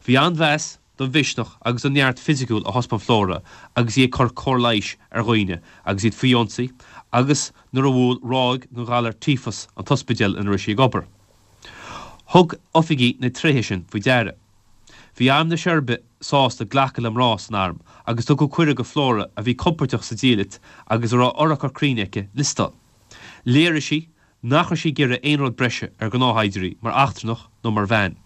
Bhí an-mheas don mhisneach agus don neart fisiciúil a thaispeáin Flora agus í ag cur cóir leighis ar dhaoine agus iad faoi ionsaí agus nuair a bhuail ráig den ghalar tíofas an t-ospidéal ina raibh sí ag obair. Thug oifigigh na tréithe sin faoi deara. Bhí arm na Seirbia sásta glacadh le mná san arm agus tugadh cuireadh go Flora, a bhí compordach sa diallait agus a raibh urchar cruinn aici, liostáil. Léirigh sí nach raibh sí ag iarraidh aon rud breise ar ghnáthshaighdiúirí mar eachtrannach nó mar bhean.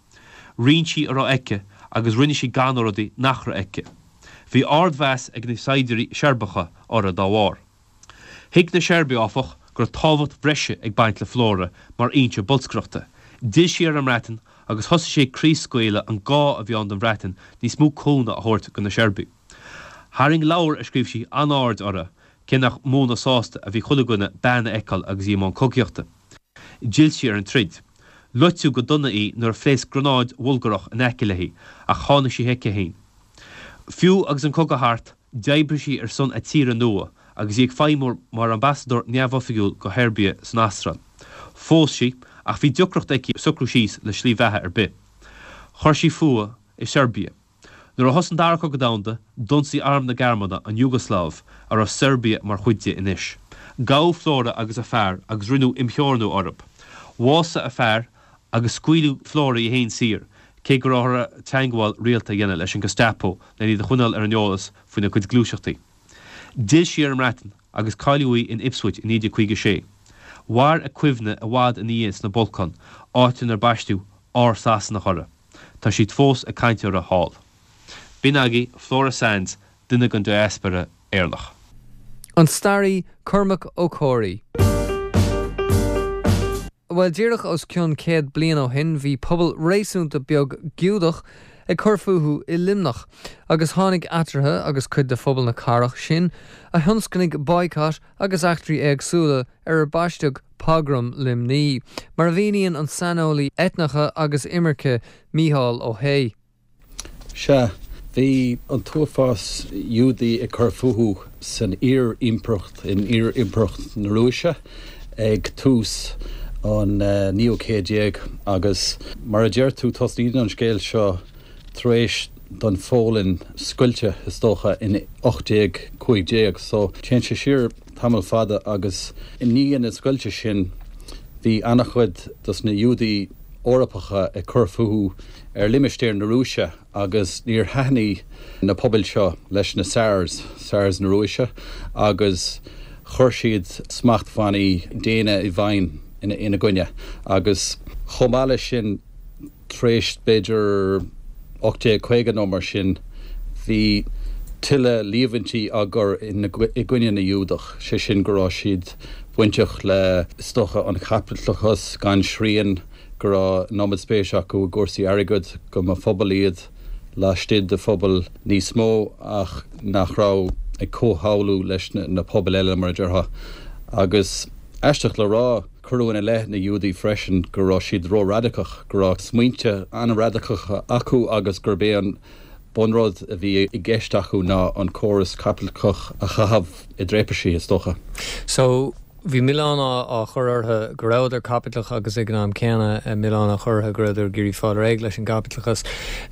Roinn sí a raibh aici agus rinne sí gan na rudaí nach raibh aici. Bhí ardmheas ag na saighdiúirí Seirbeacha uirthi dá bharr. Thuig na Seirbiaigh, áfach, go raibh tábhacht bhreise ag baint le Flora mar fhoinse bolscaireachta. D'fhill sí ar an mBreatain agus thosaigh sí ag craobhscaoileadh an gá a bhí ann don Bhreatain níos mó cúnamh a thabhairt do na Seirbiaigh. Tharraing leabhar a scríobh sí an-aird uirthi, cé nach mó ná sásta a bhí chuile dhuine bean a fheiceáil agus í i mbun cogaíochta. D'fhill sí ar an troid. Loiteadh go dona í nuair a phléasc gránáid Bhulgárach in aice léi, ach tháinig sí chuici féin. Fiú agus an cogadh thart, D'oibrigh sí ar son a tíre nua agus í ag feidhmiú mar ambasadóir neamhoifigiúil go Sheirbia san Astráil. Phós sí, ach bhí deacracht aici socrú síos le slí bheatha ar bith. Chuir sí fúithi i Seirbia. Nuair a thosaigh an Dara Cogadh Domhanda, d'ionsaigh arm na Gearmáine an Iúgasláiv, a raibh Seirbia mar chuid di anois. Gabhadh Flora agus a fear agus rinneadh imtheorannú orthu. Bhásaigh a fear agus scaoileadh Flora í féin saor, cé go raibh uirthi teagmháil rialta a dhéanamh leis an Gestapo len iad a choinneáil ar an eolas faoina cuid gluaiseachtaí. D'fhill sí ar an mBreatain agus cailleadh í in Ipswich i 1956. Mhair a cuimhne i bhfad ina dhiaidh sna Bolcáin, áit inar baisteadh Ár Sasanach orthu. Tá siad fós ag caint uirthi thall. B'in agaibh Flora Sands, duine den diaspora Éireannach. An staraí Cormac Ó Comhraí. Bhuel, díreach os cionn 100 bliain ó shin bhí pobal réasúnta beag Giúdach ag cur fúthu i Luimneach, agus tháinig eatarthu agus cuid de phobal na cathrach sin a thionscnaigh boycott agus eachtraí éagsúla ar ar baisteadh Pogram Luimnigh, mar a mhíníonn an saineolaí eitneacha agus imirce Mícheál Ó hAodha. Sea, bhí an t-uafás Iúdaí ag cur fúthu san iar-impireacht, in iar-impireacht na Rúise ag tús an naoú céad déag agus mar a deir tú, tosnaíonn an scéal seo tar éis don Pholainn scoilteadh, is dócha, in 1815. So, téann sé siar tamall fada agus i ndiaidh na scoilte sin bhí an-chuid dos na Iúdaí Eorpacha ag cur fúthu ar limistéar na Rúise agus níor thaitnigh na pobail seo leis na Tsars, Tsars na Rúise, agus chuir siad smachtbhannaí déine i bhfeidhm ina gcoinne. Agus chomh maith leis sin, tar éis b'fhéidir 1850 nó mar sin, bhí tuilleadh líomhaintí á gcur i gcoinne na Giúdach, sé sin go raibh siad bainteach le, is dócha, an chaipitleachas gan srian, go raibh an iomad spéise acu i gcúrsaí airgid, go mba phobal iad laistigh de phobal níos mó ach nach raibh ag comhshamhlú leis na pobail eile, mar a déarfá. Agus aisteach le rá, cuireadh ina leith na Giúdaigh freisin go raibh siad ró-radacach, go raibh smaointe an-radacacha acu agus gurb é an bunrud a bhí i gceist acu ná an córas caipitleachach a chaitheamh i dtraipisí, is dócha. So, bhí milleán á chur orthu go rabhadar caipitleach agus ag an am céanna milleán á chur orthu go rabhadar ag iarraidh fáil réidh leis an gcaipitleachas.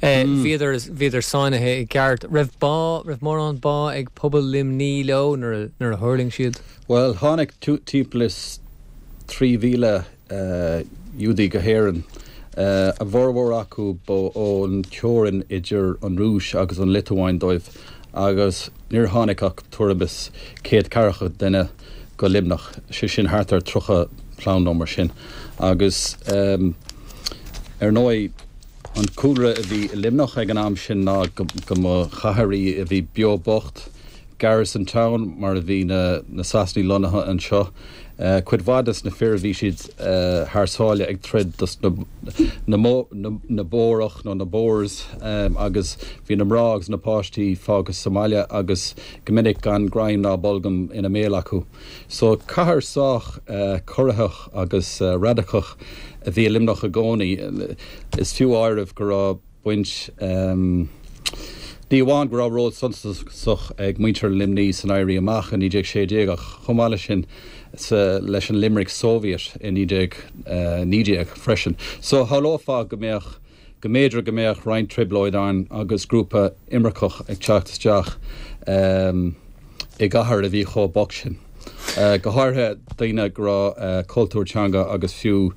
Bhíodar, bhíodar sáinnithe i gceart. Raibh bá, raibh mórán bá ag pobal Luimnigh leo nuair a, nuair a thuirling siad? Bhuel, tháinig timpeall is 3,000 Iúdaí go hÉirinn. A bhformhór acu ba ón teorainn idir an Rúis agus an Liotuáin dóibh agus níor tháinig ach tuairim is céad ceathracha duine go Luimneach, sé sin thart ar 30 clann nó mar sin. Agus ar ndóigh an cúlra a bhí i Luimneach ag an am sin ná go mba chathair í a bhí beo bocht, Garrison Town mar a bhí na Sasanaigh lonnaithe anseo. Cuid mhaith des na fir bhí siad thar sáile ag troid dos na na Bórach nó na Boers agus bhí na mná agus na páistí fágtha sa mbaile agus go minic gan greim ná bolgam ina mbéal acu. So cathair sách corraitheach agus radacach a bhí i Luimneach i gcónaí. Is fiú áireamh go raibh. baint. Ní amháin go raibh ról suntasach ag muintir Luimnigh san Éirí Amach i 1916 ach chomh maith leis sin sa leis an Limerick Soviet i 1919 freisin. So shamhlófá go mbeadh go mb'fhéidir go mbeadh roinnt trioblóid ann agus grúpa imirceach ag teacht isteach i gcathair a bhí chomh bocht sin. Go háirithe daoine go raibh cultúr, teanga agus fiú.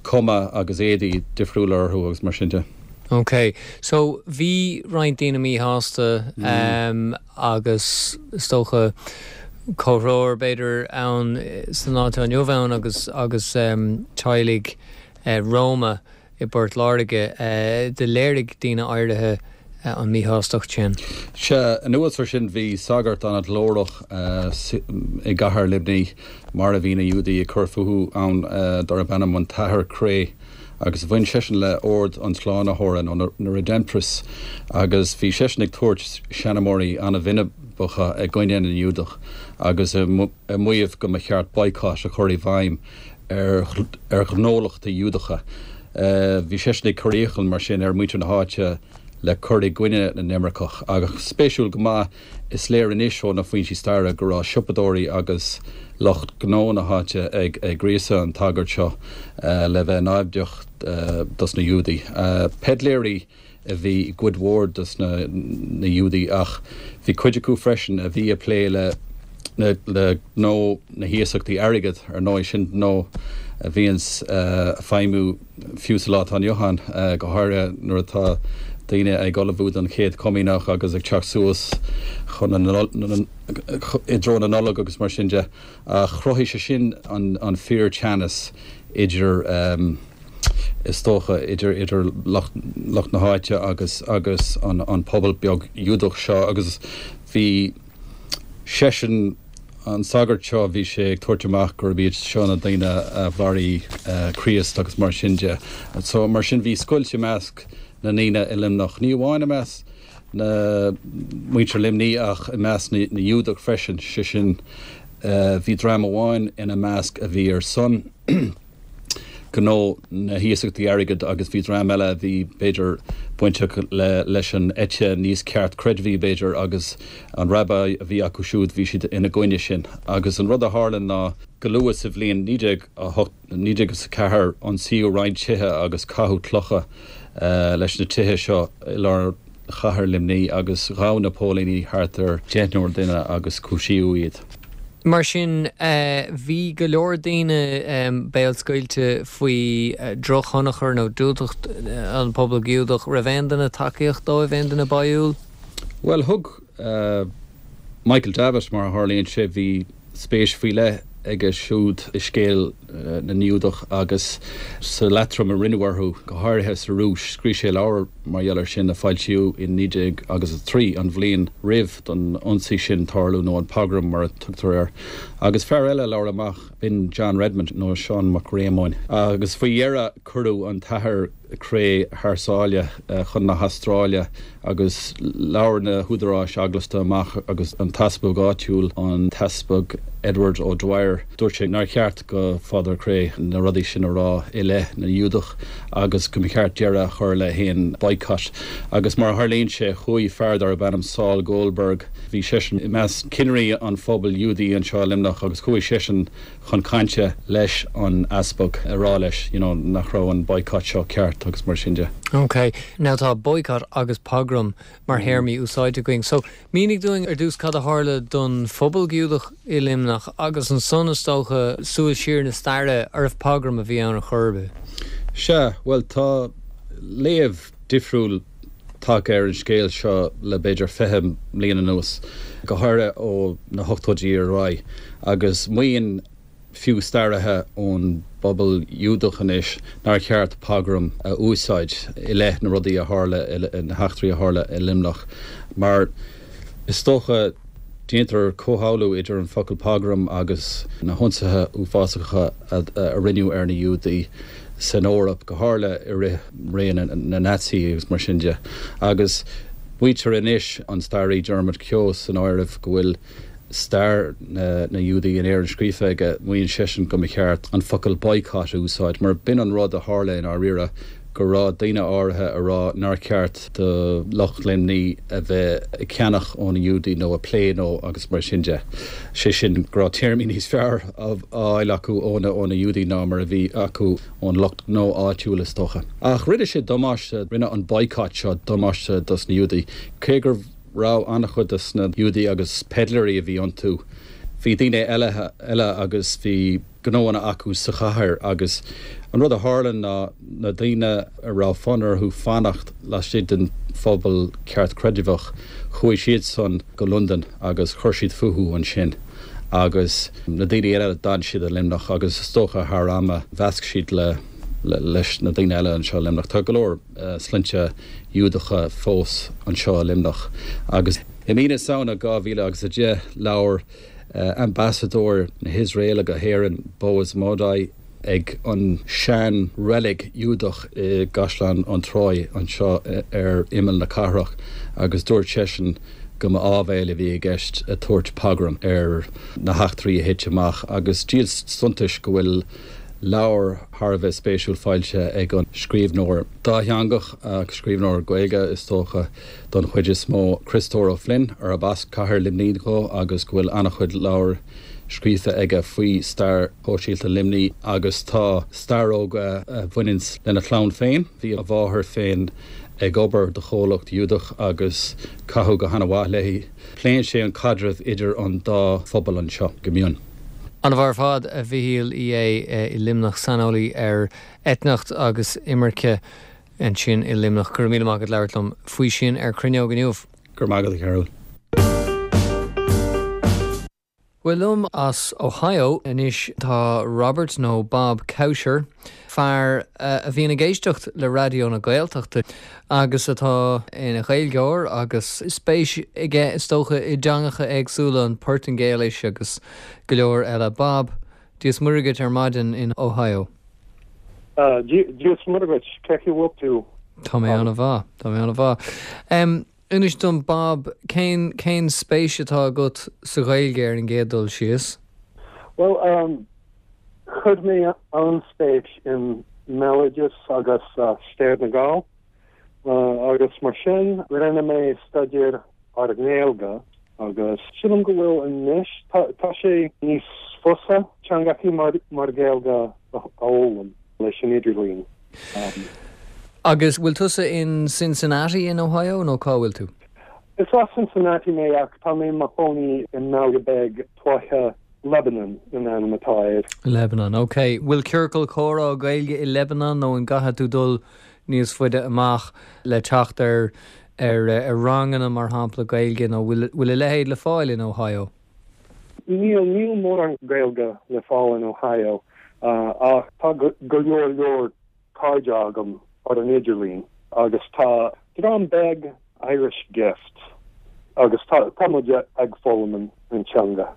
cuma agus éadaí difriúla orthu agus mar sin de. Ok, so bhí roinnt daoine míshásta agus is dócha comhthreomhar b'fhéidir ann sa lá atá inniu ann agus agus teaghlaigh Roma i bPort Láirge. Do léirigh daoine áirithe an mhíshástacht sin. Sea, anuas ar sin bhí sagart an-ghlórach i gcathair Luimnigh mar a bhí na Iúdaigh ag cur fúthu ann darb ainm an tAthair Creagh agus bhain seisean le Ord an tSlánaitheora nó na Redemptorists agus bhí seisean ag tabhairt seanmóirí an-bhinibeacha i gcoinne na nGiúdach agus ag maíomh go mba cheart boycott a chur i bhfeidhm ar ghnólachtaí Iúdacha. Bhí seisean ag cur iachall mar sin ar mhuintir na háite le cur i gcoinne na n-imirceach. Ach spéisiúil go maith, is léir anois ó na foinsí staire go raibh siopadóirí agus lucht gnó na háite ag gríosadh an tsagairt seo le bheith naimhdeach dos na Iúdaigh. Peidléirí a bhí i gcuid mhór dos na Iúdaigh ach bhí cuid acu freisin a bhí ag plé le le gnó na hiasachtaí airgid, ar ndóigh, sin gnó a bhíonns ag feidhmiú fiú sa lá atá inniu ann, go háirithe nuair atá daoine ag ullmhú don Chéad Chomaoineach agus ag teacht suas chun na i dtreo na Nollag agus mar sin de. Ach chruthaigh sé sin an fíor-teannas idir. is dócha, idir idir lucht lucht na háite agus agus an an pobal beag Iúdach seo agus bhí seisean, an sagart seo, bhí sé ag tabhairt amach gurb iad seo na daoine a mharaigh Críost agus mar sin de. So mar sin bhí scoilt i measc na ndaoine i Luimneach, ní amháin i measc na muintir Luimní ach i measc na na Iúdach freisin, sé sin bhí dream amháin ina measc a bhí ar son gnó na hiasachtaí airgid agus bhí dream eile a bhí, b'fhéidir, bainteach le leis an eite níos ceartchreidmhí, b'fhéidir, agus an rabbi a bhí acu siúd, bhí siad ina gcoinne sin. Agus an rud a tharla ná go luath sa bhliain 1908, 1904, ionsaíodh roinnt tithe agus caitheadh clocha leis na tithe seo i lár chathair Luimní agus ghabh na póilíní thart ar deichniúr duine agus cúisíodh iad. Mar sin, bhí go leor daoine béalscaoilte faoi dhrochthionchar nó diúltacht an pobal Giúdach. Raibh aon duine tacaíocht dóibh, aon duine báúil? Bhuel, thug Michael Davitt, mar a tharlaíonn sé, bhí spéis faoi leith aige siúd i scéal na nGiúdach agus sa leatrom a rinneadh orthu, go háirithe sa Rúis. Scríobh sé leabhar mar gheall air sin a foilsíodh in 19 agus a 3, an bhliain roimh don ionsaí sin tarlú, nó an pogrom mar a tugtar air. Agus fear eile a labhair amach, b'in John Redmond, nó Seán Mac Réamoinn. Agus faoi dheireadh cuireadh an tAthair Creagh thar sáile chun na hAstráile agus labhair na húdaráis eaglasta amach agus an t-easpag áitiúil, an tEaspag Edward O'Dwyer, dúirt sé nár cheart go Father Creagh na rudaí sin a rá i leith na nGiúdach agus go mba cheart deireadh a chur le haon boycott. Agus mar a tharlaíonn sé, chuaigh fear darb ainm Saul Goldberg, bhí seisean i measc cinnirí an phobail Iúdaí anseo i Luimneach agus chuaigh seisean chun cainte leis an easpag a rá leis you know nach raibh an boycott seo ceart agus mar sin de. Ok, now tá boycott agus pogrom mar théarmaí úsáidte againn. So, mínigh dúinn ar dtús cad a tharla don phobal Giúdach i Luimneach agus ansan is dócha súil siar na staire, arbh pogrom a bhí ann ar chor ar bith? Sea, bhuel tá léamh difriúil tagtha ar an scéal seo le b'fhéidir 20 mbliain anuas, go háirithe ó na hochtóidí ar aghaidh, agus maíonn fiú staraithe ón bpobal Iúdach anois nár cheart pogrom a úsáid i leith na rudaí a tharla, na heachtraí a tharla i Luimneach, mar is dócha déantar comhshamhlú idir an focal pogrom agus na hionsaithe uafásacha a rinneadh ar na Iúdaigh san Eoraip, go háirithe i rith ré na Naitsí agus mar sin de. Agus maítear anois, an staraí Dermot Keogh san áireamh, go bhfuil stair na nGiúdaí in Éirinn scríofa aige, maíonn seisean go mba cheart an focal boycott a úsáid, mar b'in an rud a tharla i ndáiríre, go raibh daoine áirithe a rá nár cheart do lucht Luimní a bheith ag ceannach ó na Iúdaigh nó ag plé leo agus mar sin de. Sé sin, go raibh téarmaí níos fearr á fháil acu ó na Iúdaigh ná mar a bhí acu ón lucht gnó áitiúil, is dócha. Ach rinne sé damáiste, rinne an boycott seo damáiste dos na Iúdaigh, cé go raibh an-chuid dos na Iúdaigh agus peidléirí a bhí iontu, bhí daoine eile eile agus bhí. gnóanna acu sa chathair agus an rud a tharla ná na daoine a raibh fonn orthu fanacht laistigh den phobal ceartchreidmheach, chuaigh siadsan go Londain agus chuir siad fúthu ansin agus na daoine eile d'fhan siad i Luimneach agus is dócha thar ama mheasc siad le leis na daoine eile anseo i Luimneach. Tá go leor sloinnte Iúdacha fós anseo i Luimneach agus i mí na Samhna 2010 labhair Ambasadóir na hIosraeile go hÉirinn, Boaz Modai, ag an sean reilig Iúdach i gCaisleán an Tráigh anseo ar imeall na cathrach agus dúirt seisean go mba áibhéil a bhí i gceist ag tabhairt pogrom ar na heachtraí a thit amach agus díol suntais go bhfuil leabhar thar a bheith spéisiúil foilsithe ag an scríbhneoir dátheangach, scríbhneoir Gaeilge is dócha don chuid is mó, Criostóir Ó Floinn, arb as cathair Luimnigh dhó agus go bhfuil an-chuid leabhar scríofa aige faoi stair shóisialta Luimnigh agus tá staróga a bhaineanns lena chlann féin. Bhí a mháthair féin ag obair do chomhlacht Iúdach agus caitheadh go hana-mhaith léi. Pléann sé an caidreamh idir an dá phobal anseo go mion. An-mhaith ar fad, a Mhichíl Uí Aodha i Luimneach, saineolaí ar eitneacht agus imirce ansin i Luimneach. Go raibh míle maith agat labhairt liom faoi sin ar Cruinneog inniu. Go raibh maith agat, a Chearbhaill. Bhuel liom as Ohio anois tá Robert nó Bob Kouscher, fear a bhíonn ag éisteacht le Raidió na Gaeltachta agus atá ina Ghaeilgeoir agus spéis aige is dócha i dteangacha éagsúla, an Phortaingéilis agus go leor eile. Bob, Dia is Muire dhuit ar maidin in Ohio. Dia is Muire dhuit, cén chaoi a bhfuil tú? Tá mé an-mhaith, tá mé an-mhaith. Inis dom Bob, cén, cén spéis atá agat sa Ghaeilge ar an gcéad dul síos? Bhuel, chuir mé an-spéis i mbéaloideas agus stair na nGall agus mar sin rinne mé staidéar ar an nGaeilge agus sílim go bhfuil anois, tá sé níos fusa teangachaí mar Ghaeilge a fhoghlaim leis an idirlíon. Agus bhfuil tusa in Cincinnati in Ohio nó cá bhfuil tú? Is as Cincinnati mé ach tá mé i mo chónaí i mbaile beag tuaithe Lebanon an ainm atá air. Lebanon, ok. Bhfuil ciorcal comhrá Gaeilge i Lebanon nó an gcaithfidh tú dul níos faide amach le teacht ar ar ar ranganna mar shampla Gaeilge nó bhfuil bhfuil a leithéid le fáil in Ohio? Níl, níl mórán Gaeilge le fáil in Ohio ach tá go leor leor cairde agam ar an idirlíon agus tá dream beag Irish Gift agus tá tá muid ag foghlaim an teanga.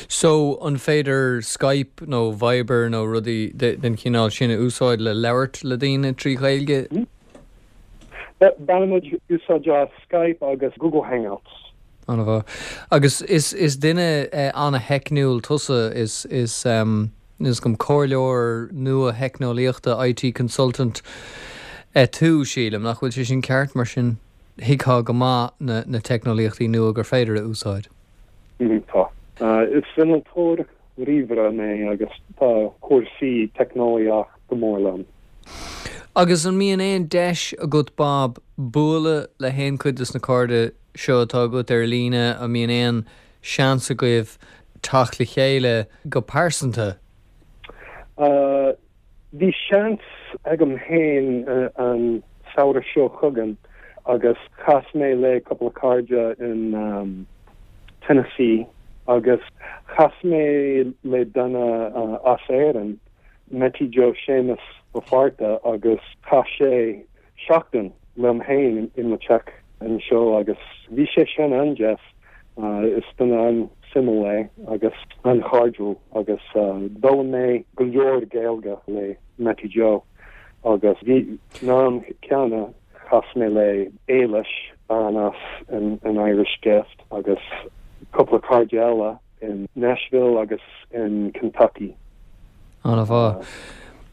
So an féidir Skype nó Viber nó rudaí den chineál sin a úsáid le labhairt le daoine trí Ghaeilge? Bainimid úsáid as Skype agus Google Hangouts. An-mhaith. Agus is is duine an-theicniúil tusa, is is níl 'fhios agam, comhairleoir nua-theicneolaíochta, IT consultant, tú, sílim, nach bhfuil sé sin ceart? Mar sin thuigfeá go maith na na teicneolaíochtaí nua gur féidir a úsáid. Tá. Is innealtóir ríomhaire mé agus tá cúrsaí teicneolaíocht go mór liom. Agus an mbíonn aon deis agat Bob bualadh le haon chuid des na cairde seo atá agat ar líne, an mbíonn aon seans agaibh teacht le chéile go pearsanta? Bhí seans agam féin an samhradh seo chugainn agus chas mé le cúpla cairde in Tennessee agus chas mé le duine as Éirinn, Mattie Joe Séamus Ó Fátharta agus chaith sé seachtain liom féin i mo teach anseo agus bhí sé sin an-deas. Is duine an-suimiúil é agus an-chairdiúil agus d'fhoghlaim mé go leor Gaeilge le Mattie Joe agus bhí an am céanna chas mé le Éilis, bean as an Irish Gift agus cúpla cairde eile. in Nashville agus in Kentucky. An-mhaith.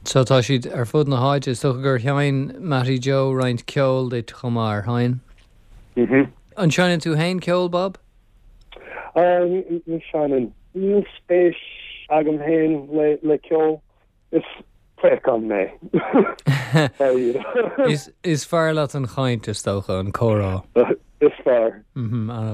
So tá siad ar fud na háite. Is dócha gur sheinn Mattie Joe roinnt ceoil duit chomh maith, ar sheinn? Mhm. An seinneann tú féin ceol, Bob? Ní sheinneann. Níl spéis agam féin le ceol. Is préachán mé. Is fearr leat an chaint, is dócha, an comhrá. Is fearr.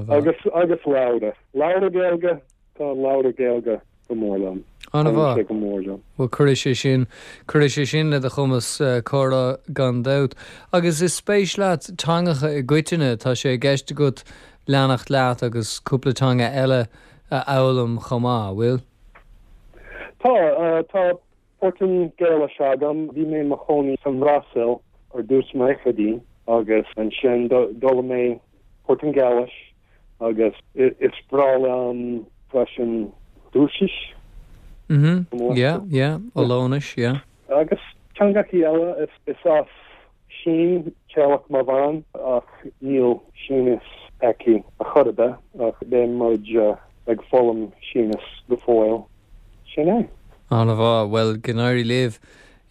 Agus, agus leabhra. Leabhra Gaeilge, tá leabhra Gaeilge go mór liom. An-mhaith. Taitníonn sé go mór liom. Bhuel, cuirfidh sé sin, cuirfidh sé sin le do chumas comhrá gan dabht. Agus is spéis leat teangacha i gcoitinne, tá sé i gceist agat leanacht leat agus cúpla teanga eile a fhoghlaim chomh maith, bhfuil? Tá, tá Portaingéilis agam. Bhí mé i mo chónaí sa mBrasaíl ar dtús sna fichidí agus ansin d'fhoghlaim mé Portaingéilis agus is breá liom freisin Rúisis. Mhm, yeah, yeah, Ollainnis, yeah. Agus teangachaí eile, is as Sín teaghlach mo bhean ach níl Sínis aici a chor ar bith ach beidh muid ag foghlaim Sínis go fóill. Sin é. An-mhaith. Bhuel, go n-éirí libh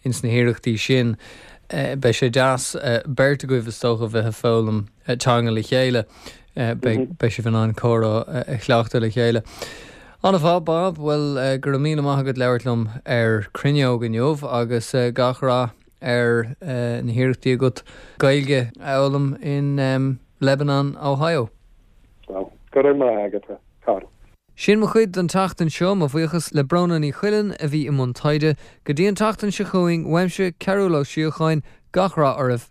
ins na hiarrachtaí sin. Beidh sé deas beirt agaibh, is dócha, bheith ag foghlaim teanga le chéile. Beidh, beidh sibh in ann comhrá a chleachtadh le chéile. An-mhaith, Bob. Bhuel, go raibh míle maith agat labhairt liom ar Cruinneog inniu agus gach rath ar na hiarrachtaí agat Gaeilge a fhoghlaim in Lebanon, Ohio. Go raibh maith agat, a chara. Sin mo chuid don tseachtain seo. Mo bhuíochas le Bróna Ní Chuilinn a bhí i mbun taighde. Go dtí an tseachtain seo chugainn, uaimse, Cearúll Ó Síocháin, gach rath oraibh.